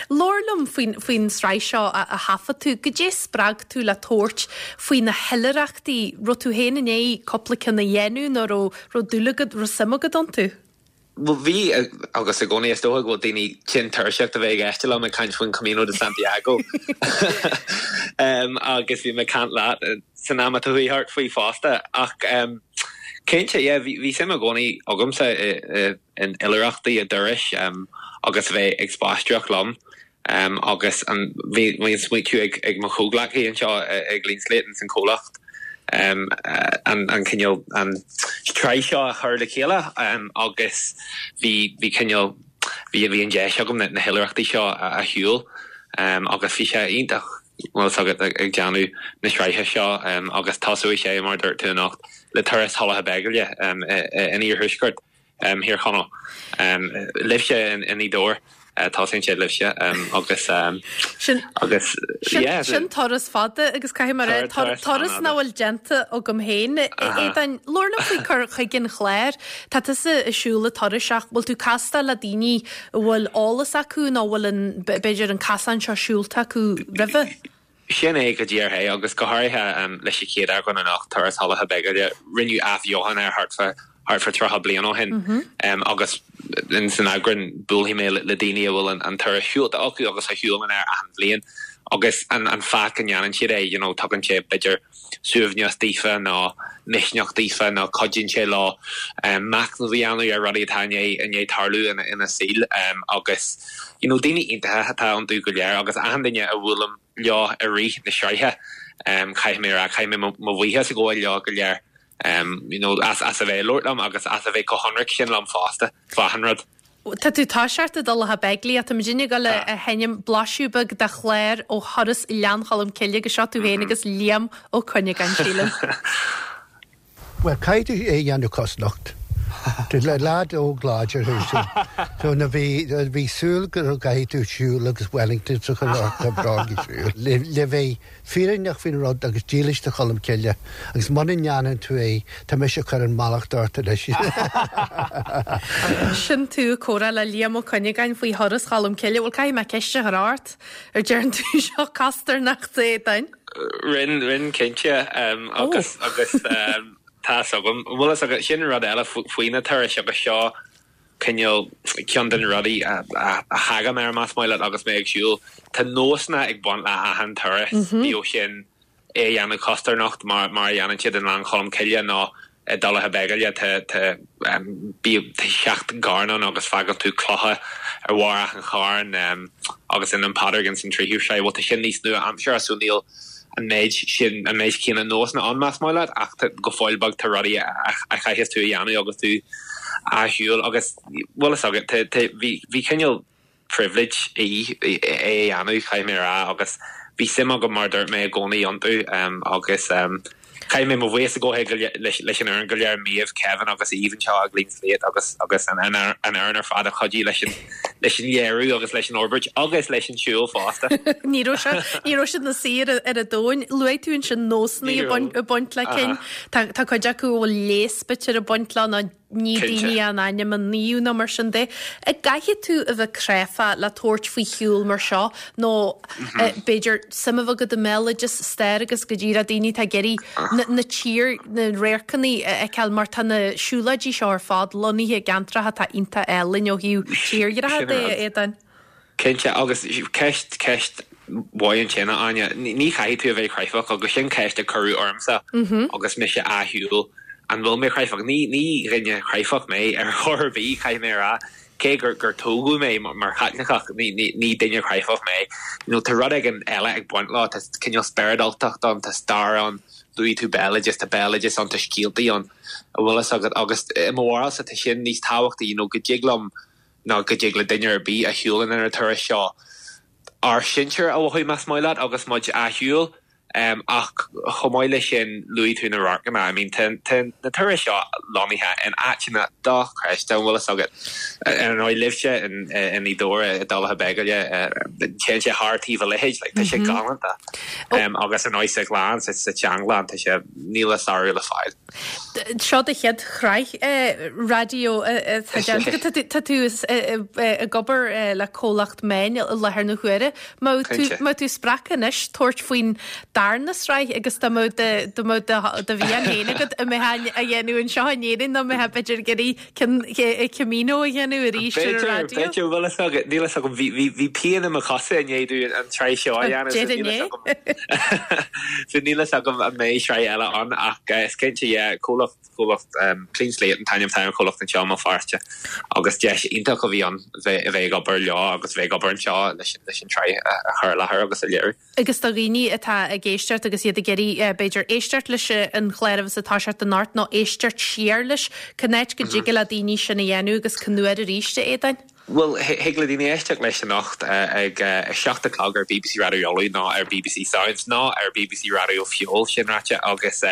Labhair liom faoin, faoin sraith seo a, a thaifead tú. Goidé spreag tú le tabhairt faoi na hoilithreachtaí? Raibh tú féin i ndiaidh cúpla ceann a dhéanamh nó raibh, raibh dúil agat, raibh suim agat iontu? Bhuel, bhí, agus i gcónaí is dócha go bhfuil daoine tinn tuirseach de bheith ag éisteacht liom ag caint faoin Camino de Santiago. Agus bhí mé ag caint leat san am atá chuaigh thart faoi fosta. Ach cinnte, yeah, bhí, bhí suim i gcónaí agamsa in oilithreachtaí, i dturais agus a bheith ag spaisteoireacht liom. Agus an, bhí, bhí an smaoitiú ag, ag mo chomhghleacaí anseo i Clean Slate ins an comhlacht an, an cineál, an tsraith seo a chur le chéile agus bhí, bhí cineál, bhí, bhí an deis agam na, na hoilithreachtaí seo a, a shiúl agus bhí sé iontach, bhfuil fhios agat, ag, ag déanamh na sraithe seo agus tosóidh sé, mar a dúirt tú anocht, le turas Thulacha Beigile in iarthuaisceart. Thír Chonaill. Libhse i nGaoth Dobhair, tosaíonn sé libhse agus agus yeah. Sin turas fada agus caithfidh mé a rá turas nach bhfuil déanta agam féin. Aodáin, labhair liom faoi cur chuige an chláir. Tá tusa ag siúl an turais ach bhfuil tú ag castáil le daoine a bhfuil eolas acu nó bhfuil an b'fhéidir an casán seo siúlta acu roimhe? Sin é go díreach é, agus go háirithe leis an chéad eagrán anocht, Turas Thulacha Beigile, rinneadh athbheochan air thart fá thart fá tríocha bliain ó shin agus in san eagrán buailfidh mé le daoine a bhfuil an turas siúlta acu agus a shiúlann air achan bhliain agus an an fáth go ndéanann siad é, you know, tugann sé b'fhéidir suaimhneas daofa nó misneach daofa nó cuidíonn sé leo machnamh a dhéanamh ar rudaí atá i ndiaidh i ndiaidh tarlú ina ina saol agus you know, daoine iontacha atá iontu go léir agus achan duine a bhuailim leo i rith na sraithe. Caithfidh mé a rá, caithfidh mé mo bhuíochas a ghabháil leo go léir you know, as as a bheith ag labhairt liom agus as a bheith chomh hionraic sin liom fosta, fá achan rud. Tá tú ag toiseacht i dTulacha Beigile, tá muidinne ag dul a sheinm blaiseadh beag de chlár ó thuras Ghleann Cholm Cille agus seo tú féin agus Liam Ó Cuinneagáin, sílim. Bhuel, caithfidh tú é a dhéanamh cosnocht. Tú leaid óg láidir thú sin. So na bhí bhí súil go gcaithfidh tú siúl agus Wellingtons a chur ort tá bróga siúil. Le le bheith fírinneach faoin rud agus dílis do Cholm Cille agus muna ndéanann tú é tá mise ag cur an mallacht ort anois. Sin tú ag comhrá le Liam Ó Cuinneagáin faoi thuras Cholm Cille. Bhuel caithfidh mé ceist a chur ort ar dearn tú seo costarnocht a Aodáin? Rinn, rinn cinnte agus agus tá's agam. Bhfuil fhios agat, sin rud eile faoi na turais agus seo cineál ceann de na rudaí a thagaim air más maith leat agus mé ag siúl. Tá nósanna ag baint le achan turas, bíodh sin é a dhéanamh costarnocht mar mar a dhéanann siad i nGleann Cholm Cille nó i dTulacha Beigile tá tá bíodh seacht gcarn ann agus fágann tú clocha ar bharr achan charn agus in An Padraig ins an tríú sraith. Bhuel tá sin níos nua-aimseartha so níl an méid sin, an méid céanna nósanna ann más maith leat ach go fóill beag tá rudaí a chaithfeas tú a dhéanamh agus tú á shiúl agus bhfuil fhios agat tá tá bhí bhí cineál privilege í é a dhéanamh caithfidh mé a rá agus bhí suim agam mar a dúirt mé i gcónaí iontu agus caithfidh mé mo bhuíochas a ghabháil leis an fhoireann go léir, Méabh, Kevin agus Eve anseo i gClean Slate agus agus an an fhoireann ar fad a chuidigh leis an leis an léiriú agus leis an fhorbairt agus leis an siúl fosta. Ní raibh sé ní raibh siad ina suí ar ar an dtóin. Luaigh tú ansin nósanna ag baint ag baint le cinn. Tá tá cuid acu a bhfuil léas b'fhéidir ag baint leo nó ní daoine a n-ainm a naomh nó mar sin de. An gcaithfidh tú a bheith cráifeach le tabhairt faoi shiúl mar seo nó b'fhéidir suim a bheith agat i mbéaloideas, stair agus go díreach daoine atá ag iarraidh na tír, na radharcanna a fheiceáil mar tá na siúlóidí seo ar fad lonnaithe i gceantracha atá iontach álainn ó thaobh tírdhreacha de, a Aodáin. Cinnte, agus ceist, ceist mhaith ansin, a Áine. Ní chaithfidh tú a bheith cráifeach, agus sin ceist a cuireadh ormsa agus mise á shiúl, an bhfuil mé cráifeach? Ní, ní dhuine cráifeach mé ar chor ar bith, caithfidh mé a rá. Cé gur, gur tógadh mé mar Chaitliceach, ní, ní, ní duine cráifeach mé. You know, tá rud éigin eile ag baint leo, tá cineál spioradáltacht ann, tá stair ann, Luaigh tú béaloideas, tá béaloideas ann, tá scéaltaí ann, a bhfuil fhios agat, agus i mo bharúilsa tá sin níos tábhachtaí, you know, go dtig liom nó go dtig le duine ar bith a shiúlann ar an turas seo ár sinsir a mhothú más maith leat agus muid á shiúl. Ach chomh maith leis sin, luaigh tú na radharcanna. I mean, tá na turais seo lonnaithe in áiteanna dochreidte, an bhfuil fhios agat. Ar ndóigh, libhse i nGaoth Dobhair, i dTulach Beagaile, téann sé thar taobh a leithéid, like, tá sé galánta. Agus ar ndóigh sa Ghleann, sa tSeanghleann, tá sé, níl a sárú le fáil. Seo do chéad shraith raidió atá déanta agat. Tá tú ag obair le comhlacht meáin i láthair na huaire. Mbeadh tú spreagtha anois tabhairt faoin darna sraith agus dá mbeadh do do mhian féin agat an mbeifeá á dhéanamh anseo in Éirinn nó an mbeifeá b'fhéidir ag iarraidh ceann Camino a dhéanamh arís ar an raidió? B'fhéidir, bhfuil fhios agat, níl fhios agam, bhí pian i mo chosa i ndiaidh domh an tsraith seo a dhéanamh so níl fhios agam so níl fhios agam an mbeidh sraith eile ann ach is cinnte yeah comhlacht comhlacht Clean Slate an t-ainm atá ar an chomhlacht anseo i mBéal Feirste agus deis iontach a bhí ann bheith bheith ag obair leo agus bheith ag obair anseo leis leis an tsraith a chur i láthair agus a léiriú. Agus do dhaoine atá ag éisteacht agus iad ag iarraidh b'fhéidir éisteacht leis an chlár a bheas ag toiseacht anocht nó éisteacht siar leis, cén áit go dtig le daoine sin a dhéanamh agus cén uair arís, a Aodáin? Bhuel, thig le daoine éisteacht leis anocht ag a seacht a chlog ar bbc Raidió Uladh nó ar bbc Sounds nó ar bbc Raidió Feabhail, sin ráite, agus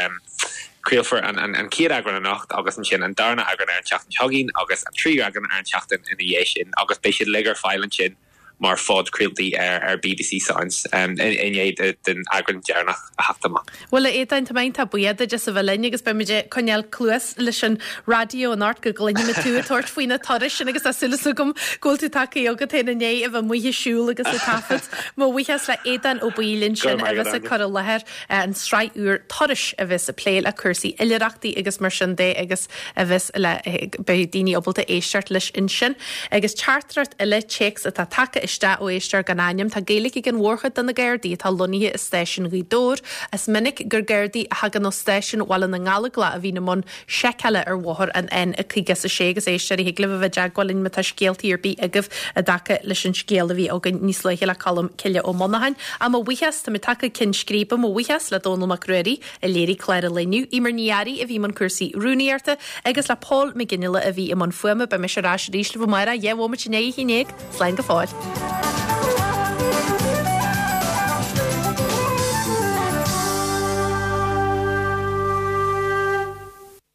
craolfar an chéad eagrán anocht agus ansin an darna eagrán ar an tseachtain seo chugainn agus an tríú eagrán ar an tseachtain ina dhiaidh sin agus beidh siad uilig ar fáil ansin mar phodchraoltaí ar bbc Sounds i ndiaidh den eagrán deireanach a theacht amach. Bhuel, a Aodáin, tá mé iontach buíoch duit as a bheith linn agus beimid ag coinneáil cluas leis an raidió anocht go gcluinfimid tú ag tabhairt faoi na turais sin agus tá súil agam go bhfuil tú tagtha agat féin i ndiaidh a bheith amuigh ag siúl agus ag taifead. Mo bhuíochas le Aodán Ó Baoill ansin a bheas ag cur i láthair an tsraith úr Turais a bheas ag plé le cúrsaí oilithreachtaí agus mar sin de agus a bheas le beidh daoine ábalta éisteacht leis ansin. Agus teachtaireacht eile, téacs atá tagtha isteach ó éisteoir gan ainm, tá Gaeilge ag an mhórchuid de na Gardaí atá lonnaithe i stáisiún Ghaoth Dobhair. Is minic gur Gardaí a thagann ó stáisiún Bhaile na nGallóglach a bhíonn i mbun seiceála ar bhóthar an N caoga is a sé agus éisteoirí thig libh a bheith i dteagmháil linn má tá scéaltaí ar bith agaibh i dtaca leis an scéal a bhí againn níos luaithe le Colm Cille Ó Monacháin. Ach mo bhuíochas, tá mé tagtha ceann scríbe, mo bhuíochas le Dónall Mac Ruairí a léirigh clár an lae inniu, Eimear Ní Fhearraigh a bhí i mbun cúrsaí rúnaíochta agus le Paul McGinley a bhí i mbun fuaime. Beidh mise ar ais arís libh amárach, dhá bhomaite i ndiaidh a haon déag. Slán go fóill.